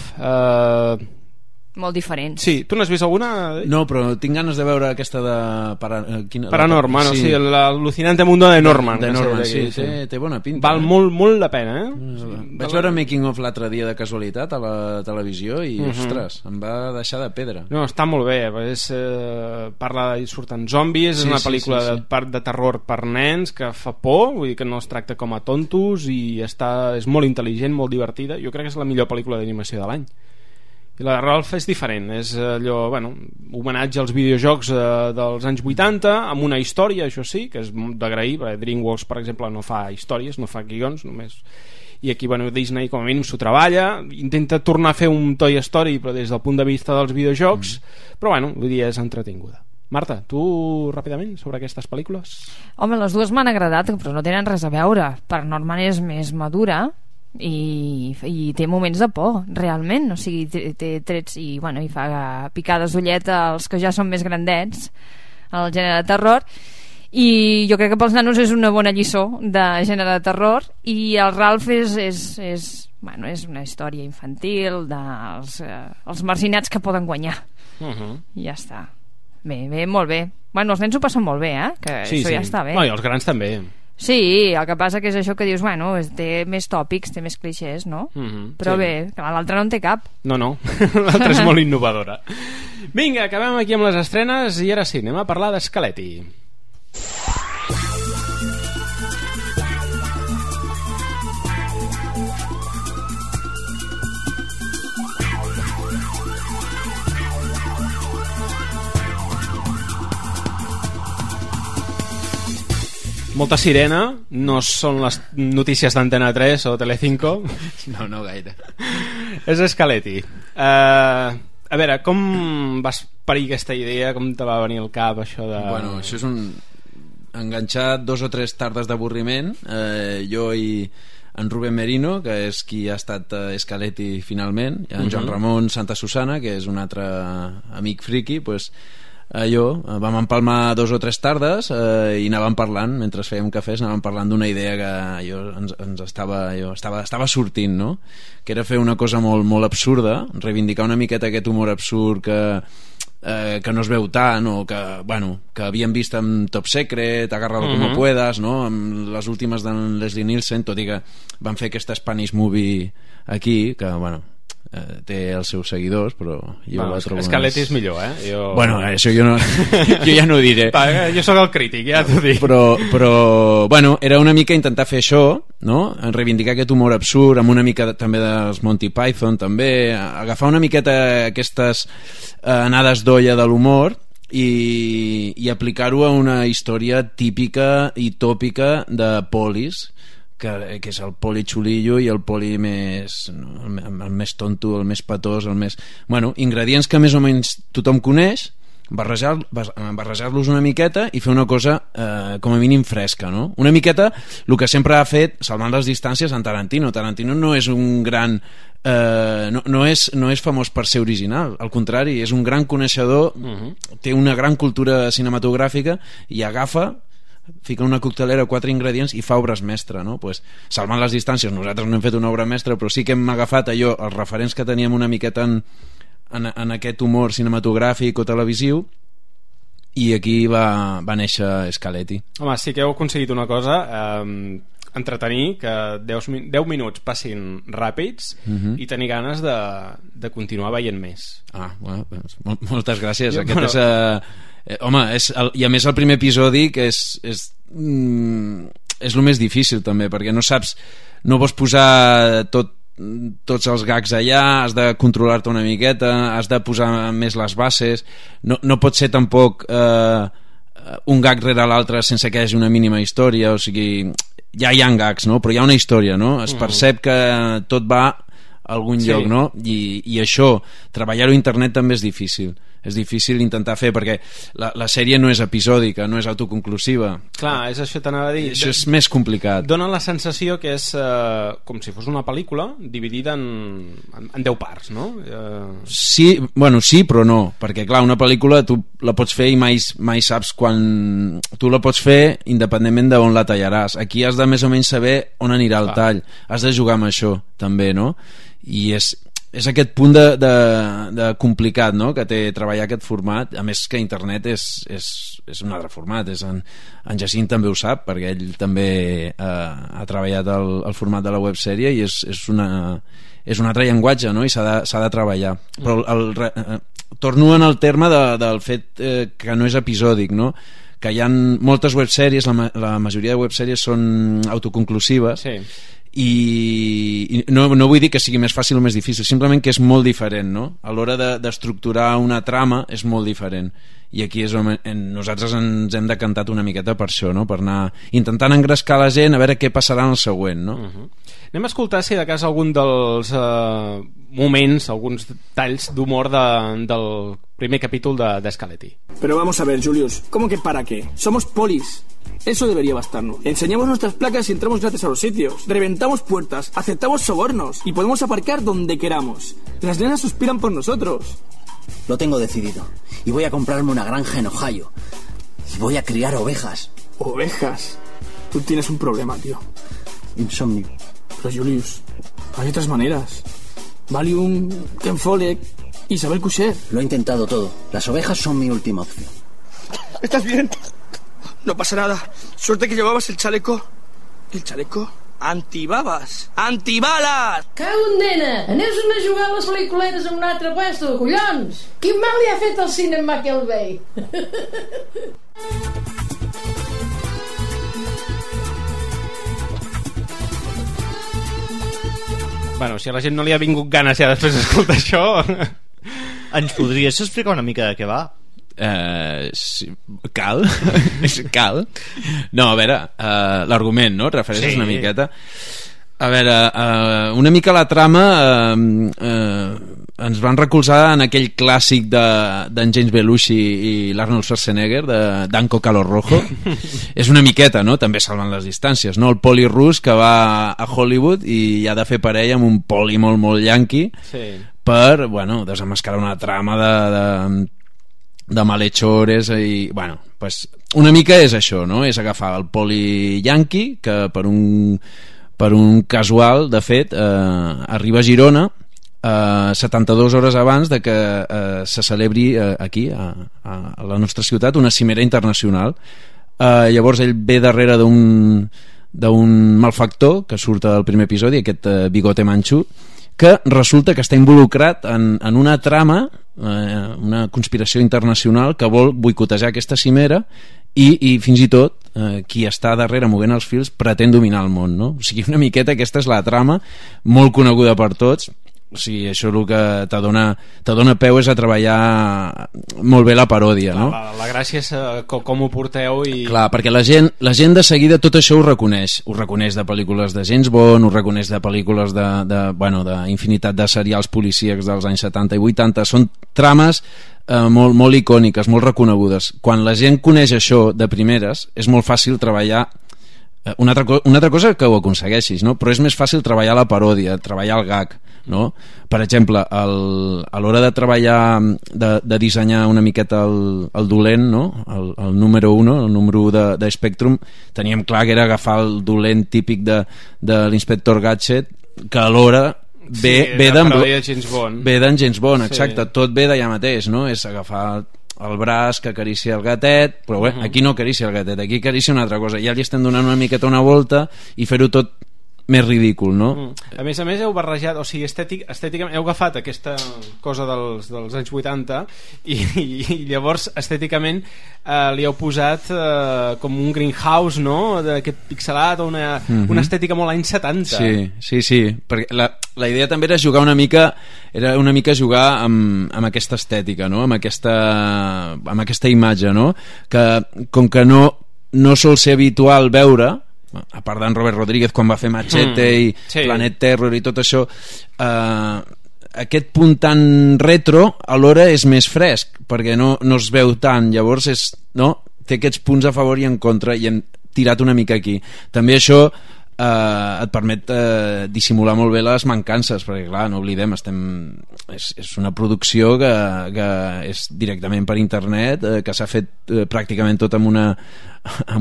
Molt diferents. Sí, tu n'has vist alguna? No, però tinc ganes de veure aquesta de Paranorman, sí, l'al·lucinante mundo de Norman. De Norman, sí, té bona pinta. Val molt la pena, Vaig veure Making of l'altre dia de casualitat a la televisió i, ostres, em va deixar de pedra. No, està molt bé, parla i surten zombis, és una pel·lícula de terror per nens que fa por, vull dir que no es tracta com a tontos i és molt intel·ligent, molt divertida. Jo crec que és la millor pel·lícula d'animació de l'any. I la de Ralph és diferent, és allò, homenatge als videojocs dels anys 80 amb una història, això sí, que és d'agrair, perquè DreamWorks, per exemple, no fa històries, no fa guions, només. I aquí, Disney com a mínim s'ho treballa, intenta tornar a fer un Toy Story, però des del punt de vista dels videojocs, però vull dir, és entretinguda. Marta, tu ràpidament sobre aquestes pel·lícules? Home, les dues m'han agradat, però no tenen res a veure. Paranorman és més madura i té moments de por realment, o sigui, té trets i fa picades d'ullet als que ja són més grandets al gènere de terror, i jo crec que pels nanos és una bona lliçó de gènere de terror, i el Ralph és una història infantil dels marginats que poden guanyar. I ja està. Bé, molt bé. Els nens ho passen molt bé, que això ja està bé. I els grans també. Sí, el que passa que és això que dius, té més tòpics, té més clixés, no? Però bé, l'altre no en té cap. No, l'altre és molt innovadora. Vinga, acabem aquí amb les estrenes i ara sí, anem a parlar d'Scaletti. Molta sirena, no són les notícies d'Antena 3 o Telecinco. No gaire. És Scaletti. A veure, com vas parir aquesta idea? Com te va venir al cap això de... Això és enganxat 2 o 3 tardes d'avorriment. Jo i en Rubén Merino, que és qui ha estat Scaletti finalment, i en Joan Ramon Santa Susana, que és un altre amic friki, vam empalmar 2 o 3 tardes i anàvem parlant, mentre fèiem cafès anàvem parlant d'una idea que ens estava sortint, no? Que era fer una cosa molt, molt absurda, reivindicar una miqueta aquest humor absurd que no es veu tant, o que havíem vist amb Top Secret, Agárralo como puedas, no? Amb les últimes d'en Leslie Nielsen, tot i que van fer aquesta Spanish Movie aquí, que té els seus seguidors, però jo la trobo Scaletti és millor, això jo ja no ho diré. Jo sóc el crític, ja t'ho dic. Però era una mica intentar fer això, no? Reivindicar aquest humor absurd, amb una mica també dels Monty Python, també agafar una miqueta aquestes anades d'olla de l'humor i aplicar-ho a una història típica i tòpica de polis, que és el poli xulillo i el poli més el més tonto, el més patós, el més... ingredients que més o menys tothom coneix, barrejar-los una miqueta i fer una cosa com a mínim fresca, no? Una miqueta el que sempre ha fet, salvant les distàncies, en Tarantino. Tarantino no és un gran no és famós per ser original, al contrari, és un gran coneixedor, té una gran cultura cinematogràfica i fica una coctelera, 4 ingredients i fa obres mestre, no? Salvant les distàncies, nosaltres no hem fet una obra mestra, però sí que hem agafat allò, els referents que teníem una miqueta en aquest humor cinematogràfic o televisiu, i aquí va néixer Scaletti. Home, sí que heu aconseguit una cosa, entretenir, que 10 minuts passin ràpids i tenir ganes de continuar veient més. Moltes gràcies. home, i a més el primer episodi que és el més difícil també, perquè no saps, no vols posar tots els gags allà, has de controlar-te una miqueta, has de posar més les bases, no pot ser tampoc un gag rere l'altre sense que hi hagi una mínima història, o sigui, ja hi ha gags, no? Però hi ha una història, no? Es percep que tot va a algun lloc, no? I això, treballar-ho a internet també és difícil intentar fer, perquè la sèrie no és episòdica, no és autoconclusiva. Clar, és això t'anava a dir. Això és més complicat. Dona la sensació que és com si fos una pel·lícula dividida en 10 parts, no? Sí, però no, perquè clar, una pel·lícula tu la pots fer i mai saps quan... Tu la pots fer independentment d'on la tallaràs. Aquí has de més o menys saber on anirà el tall. Has de jugar amb això, també, no? I és aquest punt de complicat, no?, que té treballar aquest format. A més que internet és un altre format, en Jacint també ho sap, perquè ell també ha treballat el format de la websèrie i és un altre llenguatge, no?, i s'ha de treballar. Però torno en el terme del fet que no és episòdic, no?, que hi ha moltes websèries, la majoria de websèries són autoconclusives, i no vull dir que sigui més fàcil o més difícil, simplement que és molt diferent, no? A l'hora d'estructurar una trama és molt diferent, i aquí és on nosaltres ens hem decantat una miqueta per això, no? Per anar intentant engrescar la gent a veure què passarà en el següent, no? Anem a escoltar si de cas algun dels moments, alguns talls d'humor del primer capítol de Scaletti. Pero vamos a ver, Julius, ¿cómo que para qué? Somos polis. Eso debería bastarnos. Enseñamos nuestras placas y entramos gratis a los sitios. Reventamos puertas, aceptamos sobornos y podemos aparcar donde queramos. Las nenas suspiran por nosotros. Lo tengo decidido. Y voy a comprarme una granja en Ohio. Y voy a criar ovejas. ¿Ovejas? Tú tienes un problema, tío. Insomnio. Pero Julius, hay otras maneras. Valium, Ken Follett, Isabel Coucher. Lo he intentado todo. Las ovejas son mi última opción. ¿Estás bien? No pasa nada. Suerte que llevabas el chaleco. ¿El chaleco? Antibabes. Antibalas! Cau, nena! Anem-nos a jugar a les pel·lículetes en un altre puesto, collons! Quin mal li ha fet el cinema que el vei? Bueno, si a la gent no li ha vingut ganes ja després d'escoltar això... Ens podries explicar una mica de què va? Sí, cal. No, a veure, l'argument, no? Refereixes una miqueta. A veure, una mica la trama ens van recolzar en aquell clàssic d'en James Belushi i l'Arnold Schwarzenegger, de Danko Calor Rojo. És una miqueta, no? També salvant les distàncies, no? El poli rus que va a Hollywood i ha de fer parella amb un poli molt, molt yanqui per, bueno, desenmascarar una trama de malhechores i, bueno, pues una mica és això, no? És agafar el poli yanqui que per un casual, de fet, arriba a Girona 72 hores abans de que se celebri aquí, a la nostra ciutat, una cimera internacional. Llavors ell ve darrere d'un malfactor que surt al primer episodi, aquest bigote manxú, que resulta que està involucrat en una trama, una conspiració internacional que vol boicotejar aquesta cimera i fins i tot qui està darrere movent els fils pretén dominar el món, no? O sigui, una miqueta aquesta és la trama, molt coneguda per tots. O sigui, això el que te dona peu és a treballar molt bé la paròdia, no? La gràcia és com ho porteu i... Clar, perquè la gent de seguida tot això ho reconeix de pel·lícules de James Bond, ho reconeix de pel·lícules d'infinitat de serials policíacs dels anys 70 i 80. Són trames molt, molt icòniques, molt reconegudes. Quan la gent coneix això de primeres és molt fàcil treballar una altra cosa que ho aconsegueixis, no? Però és més fàcil treballar la paròdia, treballar el gag, no? Per exemple, a l'hora de treballar, de dissenyar una miqueta el dolent, no? El número 1, el número 1 de Spectrum, teníem clar que era agafar el dolent típic de l'inspector Gadget, que alhora ve d'en James Bond, exacte, tot ve d'allà mateix, no? És agafar el braç que acaricia el gatet, però bé, aquí no acaricia el gatet, aquí acaricia una altra cosa, ja li estem donant una miqueta una volta i fer-ho tot més ridícul, no? A més heu barrejat, o sigui, estèticament heu agafat aquesta cosa dels anys 80 i llavors estèticament li heu posat com un greenhouse, no? D'aquest pixelat, una estètica molt anys 70. Sí, perquè la idea també era jugar una mica jugar amb aquesta estètica, no? Amb aquesta imatge, no? Que com que no sol ser habitual veure, a part d'en Robert Rodríguez quan va fer Machete i Planet Terror i tot això, aquest punt tan retro alhora és més fresc perquè no es veu tant, llavors té aquests punts a favor i en contra i hem tirat una mica aquí. També això et permet dissimular molt bé les mancances, perquè clar, no oblidem, és una producció que és directament per internet, que s'ha fet pràcticament tot amb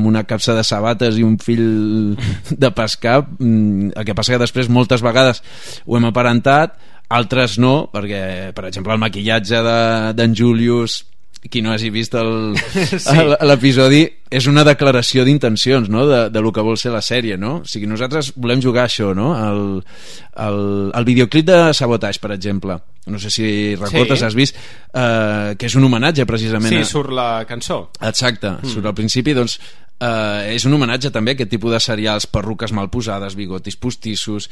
una capsa de sabates i un fil de pescar. El que passa que després moltes vegades ho hem aparentat, altres no, perquè per exemple el maquillatge d'en Julius, qui no hagi vist l'episodi, és una declaració d'intencions, no? de lo que vol ser la sèrie, no? O sigui, nosaltres volem jugar això, no? El videoclip de Sabotage, per exemple, no sé si recordes, has vist, que és un homenatge precisament. Sí, surt la cançó. Exacte, surt al principi, doncs és un homenatge també a aquest tipus de serials, perruques mal posades, bigotis postissos,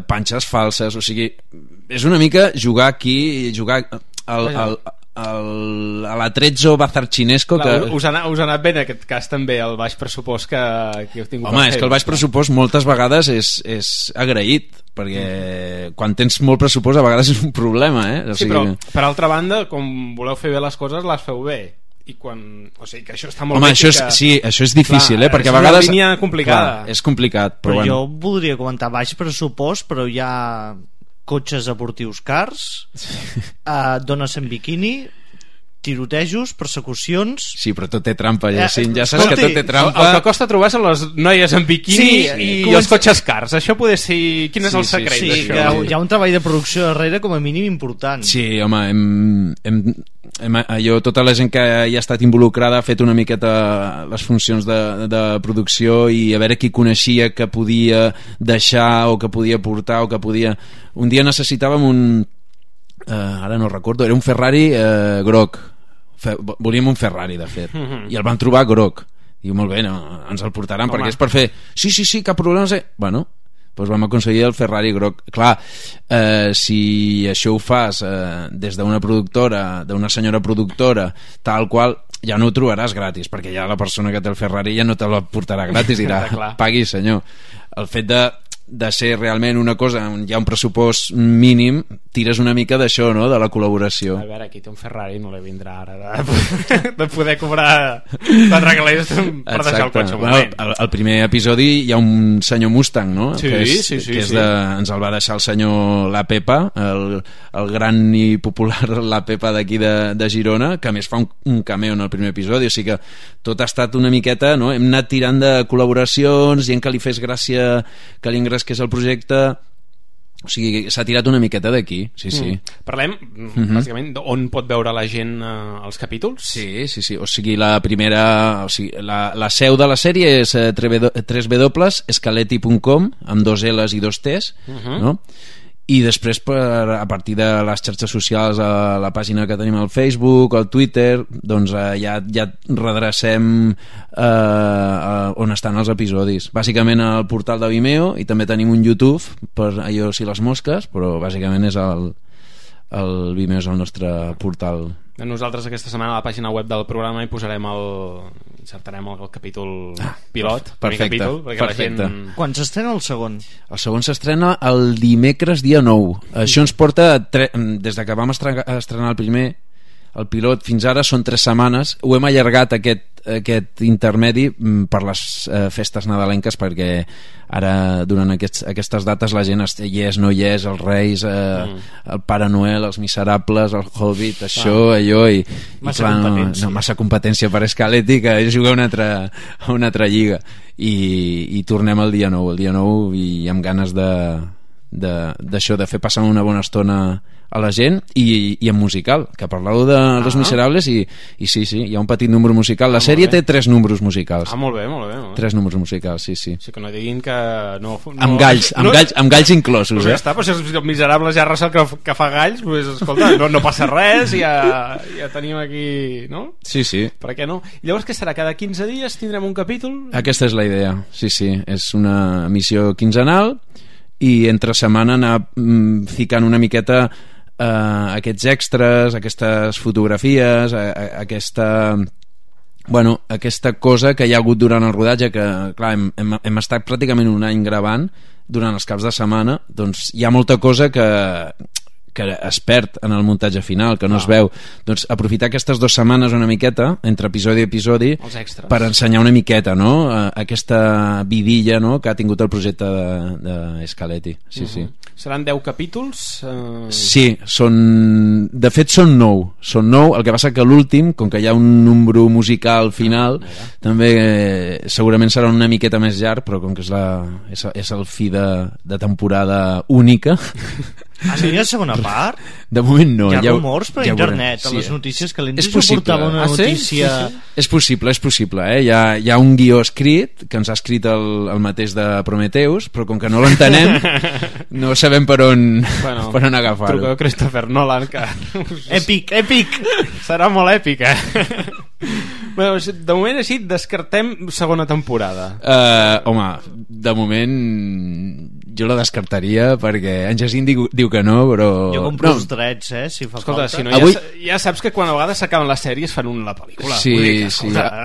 panxes falses, o sigui, és una mica jugar aquí, jugar a l'Atrezzo Bazarchinesco que... Us ha anat bé en aquest cas també el baix pressupost que heu tingut. Home, és que el baix pressupost moltes vegades és agraït, perquè quan tens molt pressupost a vegades és un problema, o sigui... però per altra banda, com voleu fer bé les coses, les feu bé, i quan... o sigui que això està molt bé. Això és difícil, perquè a vegades... És una línia complicada. Clar, és complicat, però jo voldria comentar baix pressupost, però hi ha cotxes esportius cars, dones en biquini, tirotejos, persecucions... Sí, però tot té trampa, ja saps que tot té trampa. El que costa trobar són les noies en biquini i els cotxes cars. Això poder ser... Quin és el secret d'això? Hi ha un treball de producció darrere com a mínim important. Sí, home, tota la gent que hi ha estat involucrada ha fet una miqueta les funcions de producció i a veure qui coneixia que podia deixar o que podia portar o que podia... Un dia necessitàvem un... ara no recordo, era un Ferrari groc. Volíem un Ferrari, de fet, i el van trobar groc. Diu, molt bé, ens el portaran perquè és per fer... Sí, cap problema. Bueno, doncs vam aconseguir el Ferrari groc. Clar, si això ho fas des d'una productora, d'una senyora productora, tal qual, ja no ho trobaràs gratis, perquè ja la persona que té el Ferrari ja no te la portarà gratis, dirà, pagui senyor. El fet de ser realment una cosa on hi ha un pressupost mínim, tires una mica d'això, no?, de la col·laboració. A veure, aquí té un Ferrari, no li vindrà ara de poder cobrar 4 calés per deixar el cotxe un moment. Al primer episodi hi ha un senyor Mustang, no?, sí. Ens el va deixar el senyor La Pepa, el gran i popular La Pepa d'aquí de Girona, que a més fa un cameo en el primer episodi, o sigui que tot ha estat una miqueta, no?, hem anat tirant de col·laboracions, gent que li fes gràcia que li que és el projecte, o sigui, s'ha tirat una miqueta d'aquí, sí. Parlem, bàsicament, on pot veure la gent els capítols? Sí, o sigui, la la seu de la sèrie és www.escaleti.com amb 2 L's i 2 T's, no? I després a partir de les xarxes socials, a la pàgina que tenim al Facebook, al Twitter, doncs ja redrecem on estan els episodis, bàsicament al portal de Vimeo, i també tenim un YouTube per allò si les mosques, però bàsicament és el Vimeo és el nostre portal. Nosaltres aquesta setmana a la pàgina web del programa hi posarem insertarem el capítol pilot, perfecte. Perquè la gent... Quan s'estrena el segon? El segon s'estrena el dimecres dia 9. Això ens porta des que vam estrenar el primer, el pilot, fins ara són 3 setmanes. Ho hem allargat aquest intermedi per les festes nadalenques, perquè ara durant aquestes dates la gent hi és, no hi és, els Reis, el Pare Noel, els Miserables, el Hobbit, això, allò, i massa competència per Scaletti, que juga a una altra lliga, i tornem el dia 9 i amb ganes d'això, de fer passar una bona estona a la gent, i en musical, que parleu de Los Miserables, i sí, hi ha un petit número musical. La sèrie té 3 números musicals. Molt bé. 3 números musicals, sí. Sí, que no diguin que no... Amb galls inclosos, ja està, però si els Miserables ja Russell que fa galls, doncs, escolta, no passa res, ja tenim aquí, no? Sí. Per què no? Llavors, què serà? Cada 15 dies tindrem un capítol? Aquesta és la idea, sí. És una emissió quinzenal, i entre setmana anar ficant una miqueta aquests extras, aquestes fotografies, aquesta cosa que hi ha hagut durant el rodatge, que clar, hem estat pràcticament un any gravant durant els caps de setmana, doncs hi ha molta cosa que es perd en el muntatge final, que no es veu. Doncs aprofitar aquestes 2 setmanes una miqueta entre episodi i episodi per ensenyar una miqueta, no? Aquesta vidilla, no?, que ha tingut el projecte de Scaletti. Sí. Seran 10 capítols? Sí, de fet són 9. Són 9, el que passa que l'últim, com que hi ha un número musical final, també segurament serà una miqueta més llarg, però com que és el fi de temporada única... Sí, hi ha segona part? De moment no. Hi ha rumors per internet, a les notícies que l'Enzo portava una notícia... És possible, Hi ha un guió escrit, que ens ha escrit el mateix de Prometheus, però com que no l'entenem, no sabem per on agafar-ho. Truqueu a Christopher Nolan, que... Èpic! Serà molt èpic, Bueno, de moment així descartem segona temporada. Home, de moment jo la descartaria, perquè en Jacint diu que no, però... Jo compro els drets, si fa falta. Si no, ja saps que quan a vegades s'acaben les sèries fan la pel·lícula. Sí.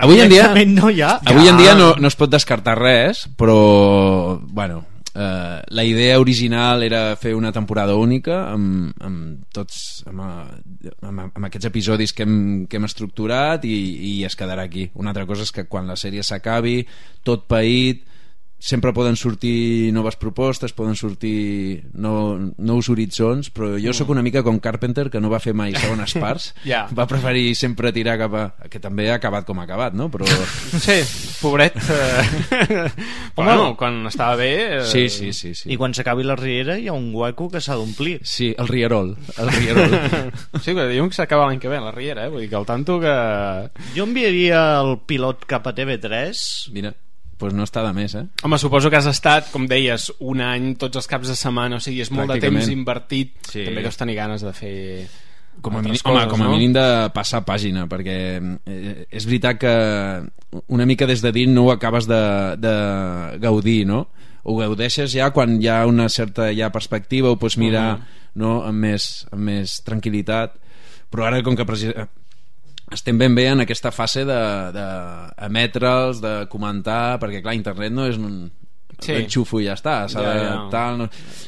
Avui en dia no es pot descartar res, però bueno, la idea original era fer una temporada única amb aquests episodis que hem estructurat, i es quedarà aquí. Una altra cosa és que quan la sèrie s'acabi, tot paït, sempre poden sortir noves propostes, poden sortir nous horitzons, però jo sóc una mica com Carpenter, que no va fer mai segones parts. Va preferir sempre tirar cap a... que també ha acabat com ha acabat, no? Però... Sí, pobret. Bueno, quan estava bé... Sí. I quan s'acabi la riera hi ha un hueco que s'ha d'omplir. Sí, el rierol. Sí, que diuen que s'acaba l'any que ve la riera, vull dir que al tanto que... Jo enviaria el pilot cap a TV3. Mira, pues no està de més, Home, suposo que has estat, com deies, un any tots els caps de setmana, o sigui, és molt de temps invertit. Sí. També deus tenir ganes de fer com a mínim de passar pàgina, perquè és veritat que una mica des de dins no ho acabes de gaudir, no? Ho gaudeixes ja quan hi ha una certa perspectiva, ho pots mirar amb més tranquil·litat, però ara com que estem ben bé en aquesta fase d'emetre'ls, de comentar, perquè clar, internet no és un enxufo i ja està,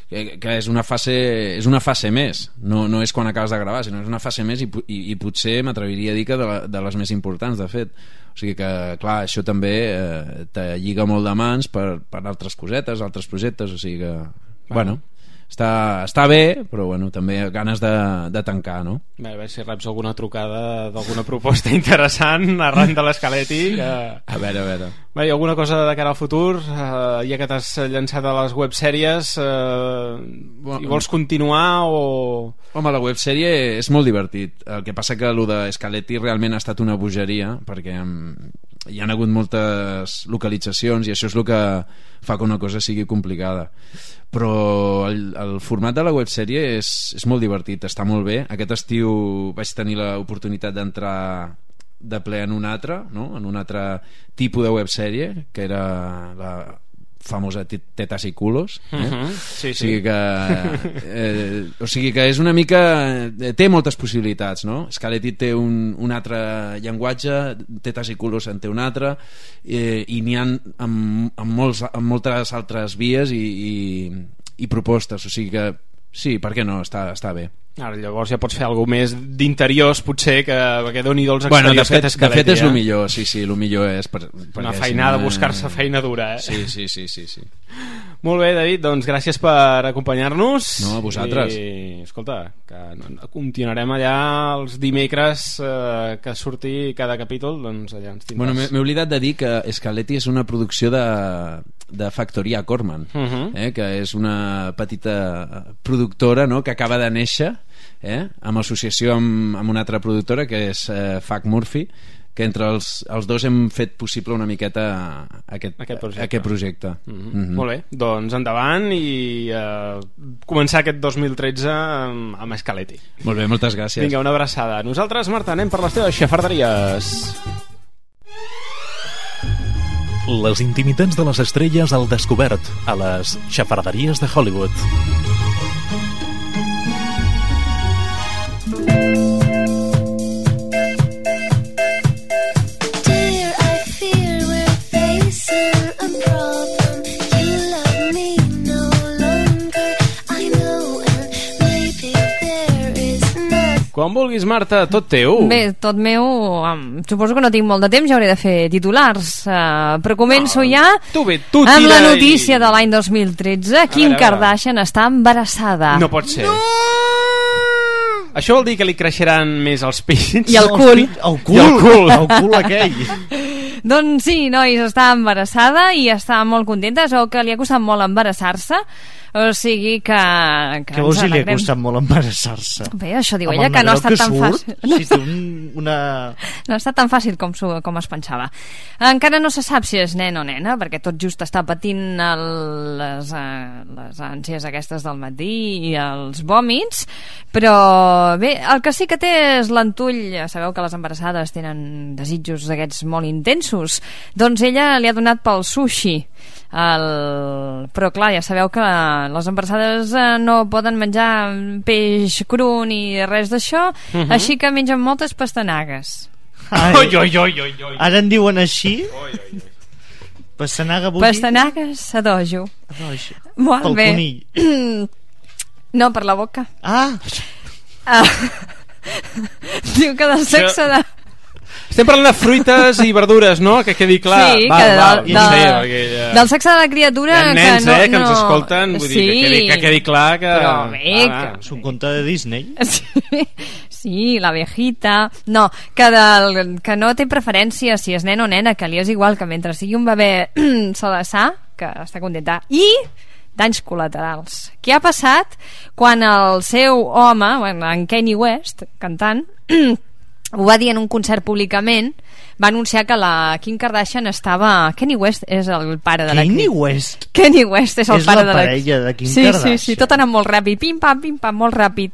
que és una fase més, no és quan acabes de gravar, sinó és una fase més, i potser m'atreviria a dir que de les més importants, de fet. O sigui que clar, això també te lliga molt de mans per altres cosetes, altres projectes, o sigui que bueno, està bé, però bueno, també ganes de tancar, no? A veure si reps alguna trucada d'alguna proposta interessant arran de l'Scaletti que... A veure. Bé, alguna cosa de cara al futur, ja que t'has llançat a les websèries, i vols continuar o... Home, la websèrie és molt divertit. El que passa que el de Scaletti realment ha estat una bogeria, perquè hi ha hagut moltes localitzacions i això és el que fa que una cosa sigui complicada, però el format de la websèrie és molt divertit, està molt bé. Aquest estiu vaig tenir l'oportunitat d'entrar de ple en un altre, no? En un altre tipus de websèrie, que era la famosa Tetas i Culos, Sí. O sigui que és una mica... té moltes possibilitats, no? Scaletti té un altre llenguatge, Tetas i Culos en té un altre, i n'hi ha amb moltes altres vies i propostes, o sigui que sí, per què no? Està bé. Ara, llavors ja pots fer alguna més d'interiors, potser, que doni dels exteriors que té Scaletti. De fet és el millor, sí, el millor és una feinada, buscar-se feina dura, Sí. Molt bé, David, doncs gràcies per acompanyar-nos. No, a vosaltres. I, escolta, que continuarem allà els dimecres que surti cada capítol, doncs allà ens tindràs. Bueno, m'he oblidat de dir que Scaletti és una producció de de Factoria Corman, que és una petita productora, no?, que acaba de néixer amb associació amb una altra productora que és Fac Murphy, que entre els dos hem fet possible una miqueta aquest projecte. Molt bé, doncs endavant i començar aquest 2013 amb Scaletti. Molt bé, moltes gràcies. Vinga, una abraçada. Nosaltres, Marta, anem per les teves xafarderies. Les intimitats de les estrelles al descobert a les xafarderies de Hollywood. Quan vulguis, Marta, tot teu. Bé, tot meu, suposo que no tinc molt de temps, ja hauré de fer titulars, però començo ja amb la notícia de l'any 2013. Kim Kardashian està embarassada. No pot ser. Això vol dir que li creixeran més els pits? I el cul. El cul aquell. Doncs sí, nois, està embarassada i està molt contenta, o que li ha costat molt embarassar-se. O sigui que què vols dir, li ha costat molt embarassar-se? Bé, això diu ella, que no ha estat tan fàcil. No ha estat tan fàcil com es pensava. Encara no se sap si és nen o nena, perquè tot just està patint les ànsies aquestes del matí i els vòmits, però bé, el que sí que té és l'entull. Ja sabeu que les embarassades tenen desitjos d'aquests molt intensos, doncs ella li ha donat pel sushi. Però clar, ja sabeu que les embarassades no poden menjar peix cru ni res d'això, així que mengen moltes pastanagues. Ara en diuen així? Pastanaga, pastanagues a dojo. Pel conill. No, per la boca. Diu que del sexe de... Estem parlant de fruites i verdures, no? Que quedi clar. Sí, del sexe de la criatura... Hi ha nens, que ens escolten, vull dir, que quedi clar que... Però bé, és un conte de Disney. Sí, la viejita... No, que no té preferència si és nen o nena, que li és igual, que mentre sigui un bebè salassà, que està contenta. I danys col·laterals. Què ha passat quan el seu home, en Kanye West, cantant... ho va dir en un concert públicament, va anunciar que la Kim Kardashian estava... Kanye West és el pare de la Kim. Kanye West és el pare de la... És la parella de Kim Kardashian. Sí, tot anant molt ràpid, pim-pam, molt ràpid.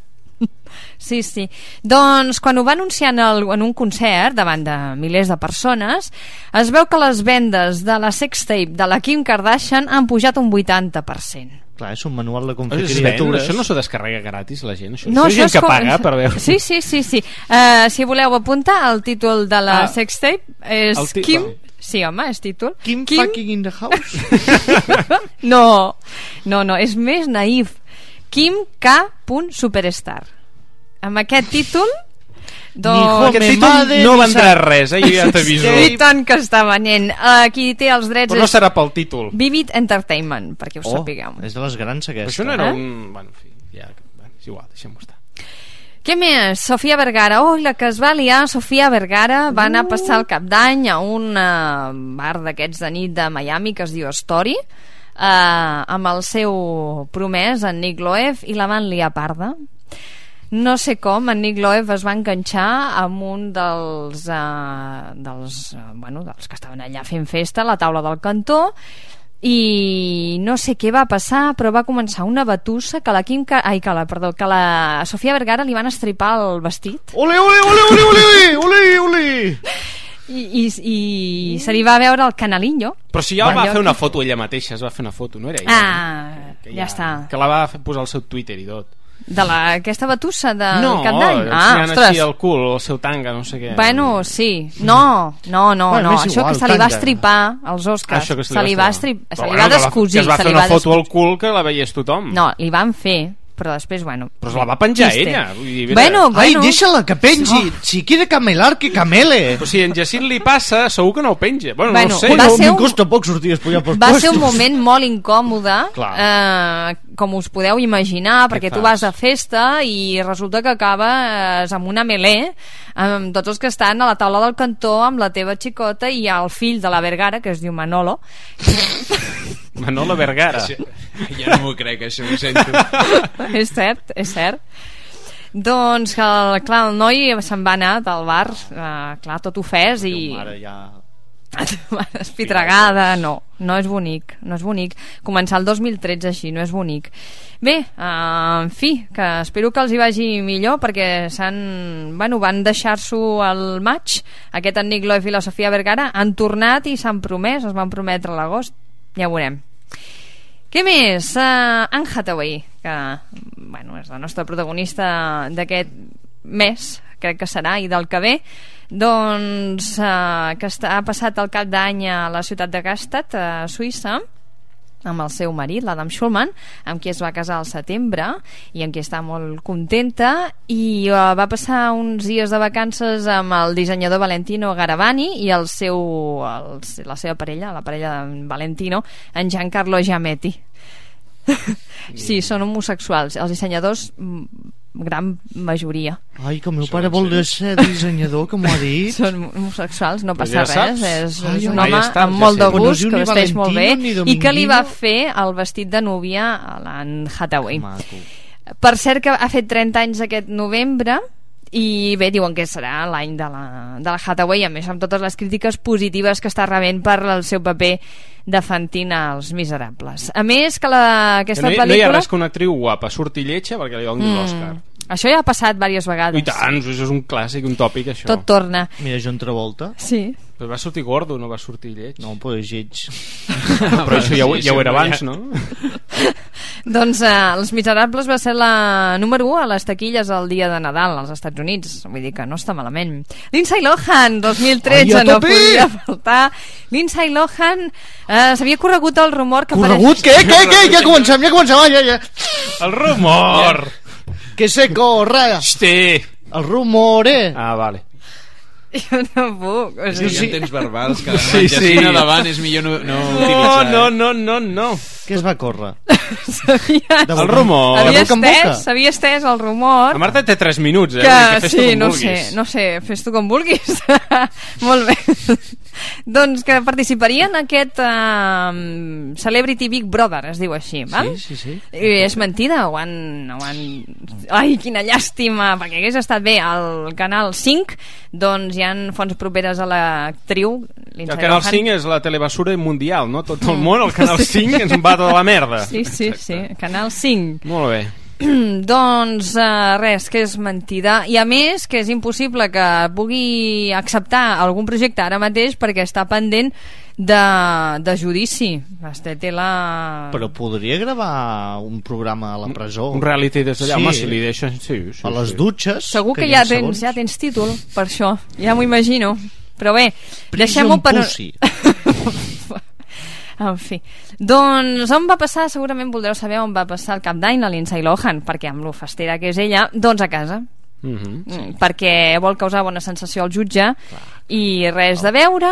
Sí. Doncs quan ho va anunciar en un concert davant de milers de persones, es veu que les vendes de la sextape de la Kim Kardashian han pujat un 80%. Clar, és un manual de confraterniatures. Això no s'ho descarrega gratis, la gent? No, això és gent que paga per veure. Sí. Si voleu apuntar, el títol de la sextape és Kim... Sí, home, és títol. Kim fucking in the house? No, és més naïf. Kim K. Superstar. Amb aquest títol... Aquest títol no vendrà res, jo ja t'aviso. I tant que està venent. Qui té els drets... Però no serà pel títol. Vivid Entertainment, perquè ho sapigueu. És de les grans aquesta. Però això no era un... Bueno, en fi, és igual, deixem-ho estar. Què més? Sofia Vergara. La que es va liar, Sofia Vergara va anar a passar el cap d'any a un bar d'aquests de nit de Miami que es diu Story, amb el seu promès, en Nick Loeb, i la van liar parda. No sé com, en Nick Loeb es va enganxar amb un dels que estaven allà fent festa a la taula del cantó, i no sé què va passar, però va començar una batussa que la Sofia Vergara li van estripar el vestit. Ole! I se li va veure el canalillo. Però si ja va fer una foto ella mateixa, es va fer una foto, no era ella? Ja està. Que la va posar al seu Twitter i tot. De aquesta batussa del cap d'any? Ensenyant així el cul, el seu tanga, no sé què. Bueno, sí. No, això que se li va estripar als Oscars, se li va descosir. Que es va fer una foto al cul que la veiés tothom. No, li van fer, però després, bueno... Però se la va penjar ella. Bueno. Ai, deixa-la que pengi. Si quiere camelar, que camele. Però si en Jacint li passa, segur que no ho penja. Bueno, no ho sé. Em costa poc sortir despullat pels puestos. Va ser un moment molt incòmode com us podeu imaginar, perquè tu vas a festa i resulta que acabes amb una melé amb tots els que estan a la taula del cantó amb la teva xicota i el fill de la Vergara, que es diu Manolo. Manolo Vergara. Ja no m'ho crec, això ho sento. És cert, és cert. Doncs, clar, el noi se'n va anar del bar, clar, tot ofès i... Mare, ja... Espitregada, no és bonic, no és bonic començar el 2013 així, no és bonic. Bé, en fi, que espero que els hi vagi millor, perquè van deixar-s'ho al maig, aquest en Nick Loeb i la Sofia Vergara han tornat i s'han promès, es van prometre a l'agost, ja ho veurem. Què més? Anne Hathaway, que és la nostra protagonista d'aquest mes, crec que serà, i del que ve, doncs que ha passat el cap d'any a la ciutat de Gstaad, a Suïssa, amb el seu marit, l'Adam Schulman, amb qui es va casar al setembre i amb qui està molt contenta, i va passar uns dies de vacances amb el dissenyador Valentino Garavani i la seva parella, la parella de Valentino, en Giancarlo Giametti. Sí, són homosexuals els dissenyadors, gran majoria. Ai, que el meu pare vol ser dissenyador, que m'ho ha dit. Són homosexuals, no passa res, és un home amb molt de gust, que vesteix molt bé, i que li va fer el vestit de núvia a l'Anne Hathaway. Per cert, que ha fet 30 anys aquest novembre, i bé, diuen que serà l'any de la Hathaway, a més amb totes les crítiques positives que està rebent per el seu paper de Fantine als Miserables. A més que aquesta pel·lícula... No hi ha res que una actriu guapa surti lletja perquè li doni l'Òscar. Això ja ha passat diverses vegades. I tant, això és un clàssic, un tòpic, això. Tot torna. Mira, John Travolta. Sí. Però va sortir gordo, no va sortir lleig. No, però és lleig. Però això ja ho era abans, no? Doncs Els Miserables va ser la número 1 a les taquilles el dia de Nadal als Estats Units, vull dir que no està malament. Lindsay Lohan, 2013, no podia faltar. Lindsay Lohan s'havia corregut el rumor que... Corregut? Què? Ja comencem, ja. El rumor! Que se corre! Hosti! El rumore! Ah, vale. Jo no puc. És que hi ha temps verbals que Jacina davant és millor no utilitzar. No. Què es va córrer? El rumor. S'havia estès el rumor. La Marta té 3 minuts, que sí, no sé, fes tu com vulguis. Molt bé. Doncs que participaria en aquest Celebrity Big Brother, es diu així, val? Sí. I és mentida, ho han... Ai, quina llàstima, perquè hagués estat bé al Canal 5, doncs hi ha fonts properes a l'actriu el Canal 5 és la telebasura mundial, no? Tot el món, el Canal 5 ens va tota la merda. Sí, Canal 5. Molt bé. Doncs res, que és mentida, i a més que és impossible que pugui acceptar algun projecte ara mateix perquè està pendent de judici. Però podria gravar un programa a la presó, un reality des d'allà, home, si li deixen a les dutxes. Segur que ja tens títol per això, ja m'ho imagino. Però bé, deixem-ho per... En fi, doncs on va passar? Segurament voldreu saber on va passar el cap d'any la Lindsay Lohan, perquè amb lo festera que és ella, doncs a casa. Perquè vol causar bona sensació al jutge. I res de beure,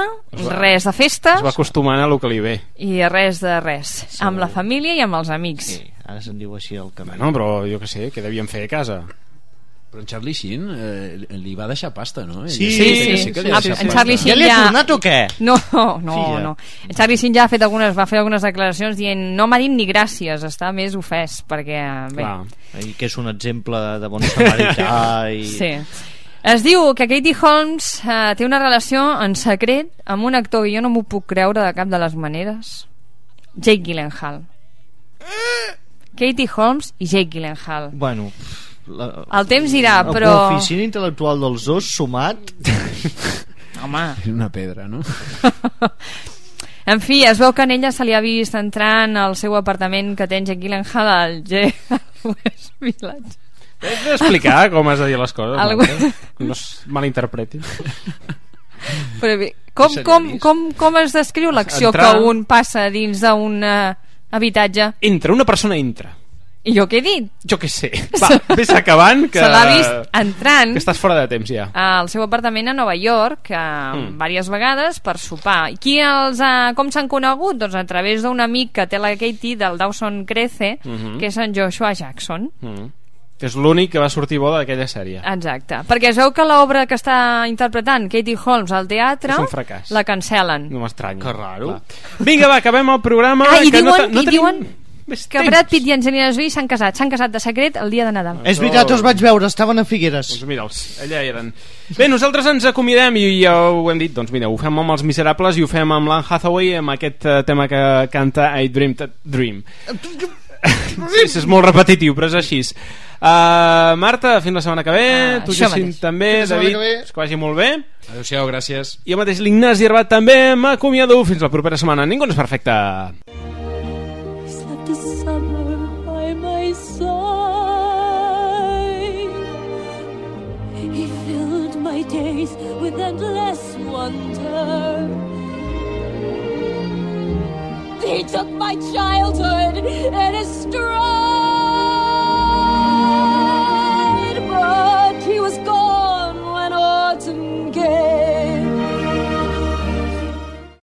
res de festes, es va acostumant a lo que li ve, i res de res, amb la família i amb els amics. Ara se'n diu així el camí. No, però jo que sé, què devien fer a casa? Però en Charlie Sheen li va deixar pasta, no? Sí. En Charlie Sheen ja li ha tornat o què? No. En Charlie Sheen ja va fer algunes declaracions dient no m'ha dit ni gràcies, està més ofès perquè, bé... que és un exemple de bon samarità i... Sí. Es diu que Katie Holmes té una relació en secret amb un actor que jo no m'ho puc creure de cap de les maneres. Jake Gyllenhaal. Katie Holmes i Jake Gyllenhaal. Bueno... el temps dirà, però... El coeficient intel·lectual dels dos sumat... Home... És una pedra, no? En fi, es veu que en ella se li ha vist entrant al seu apartament que té en Jake Gyllenhaal al West Village. Has d'explicar com has de dir les coses, no es malinterpretin. Però bé, com es descriu l'acció que un passa dins d'un habitatge? Una persona entra I jo què he dit? Jo què sé. Va, vés acabant, que... Se l'ha vist entrant... Que estàs fora de temps, ja. Al seu apartament a Nova York, diverses vegades, per sopar. Com s'han conegut? Doncs a través d'un amic que té la Katie, del Dawson Crece, que és en Joshua Jackson. Que és l'únic que va sortir bo d'aquella sèrie. Exacte. Perquè es veu que l'obra que està interpretant Katie Holmes al teatre... És un fracàs. La cancel·len. No m'estranya. Que raro. Vinga, va, acabem el programa. I diuen que Brad Pitt i Angelina Jolie s'han casat de secret el dia de Nadal. És veritat, els vaig veure, estaven a Figueres. Doncs mira'ls, allà eren. Bé, nosaltres ens acomiadem i ja ho hem dit, doncs mira, ho fem amb els Miserables i ho fem amb l'Anne Hathaway, amb aquest tema que canta I Dreamed a Dream. Sí, és molt repetitiu, però és així. Marta, fins la setmana que ve. Tu, Jacint, també. David, que vagi molt bé. Adéu-siau, gràcies. I el mateix l'Ignasi Arbat també m'acomiado. Fins la propera setmana. Ningú no és perfecte. The summer by my side, he filled my days with endless wonder. He took my childhood in his stride.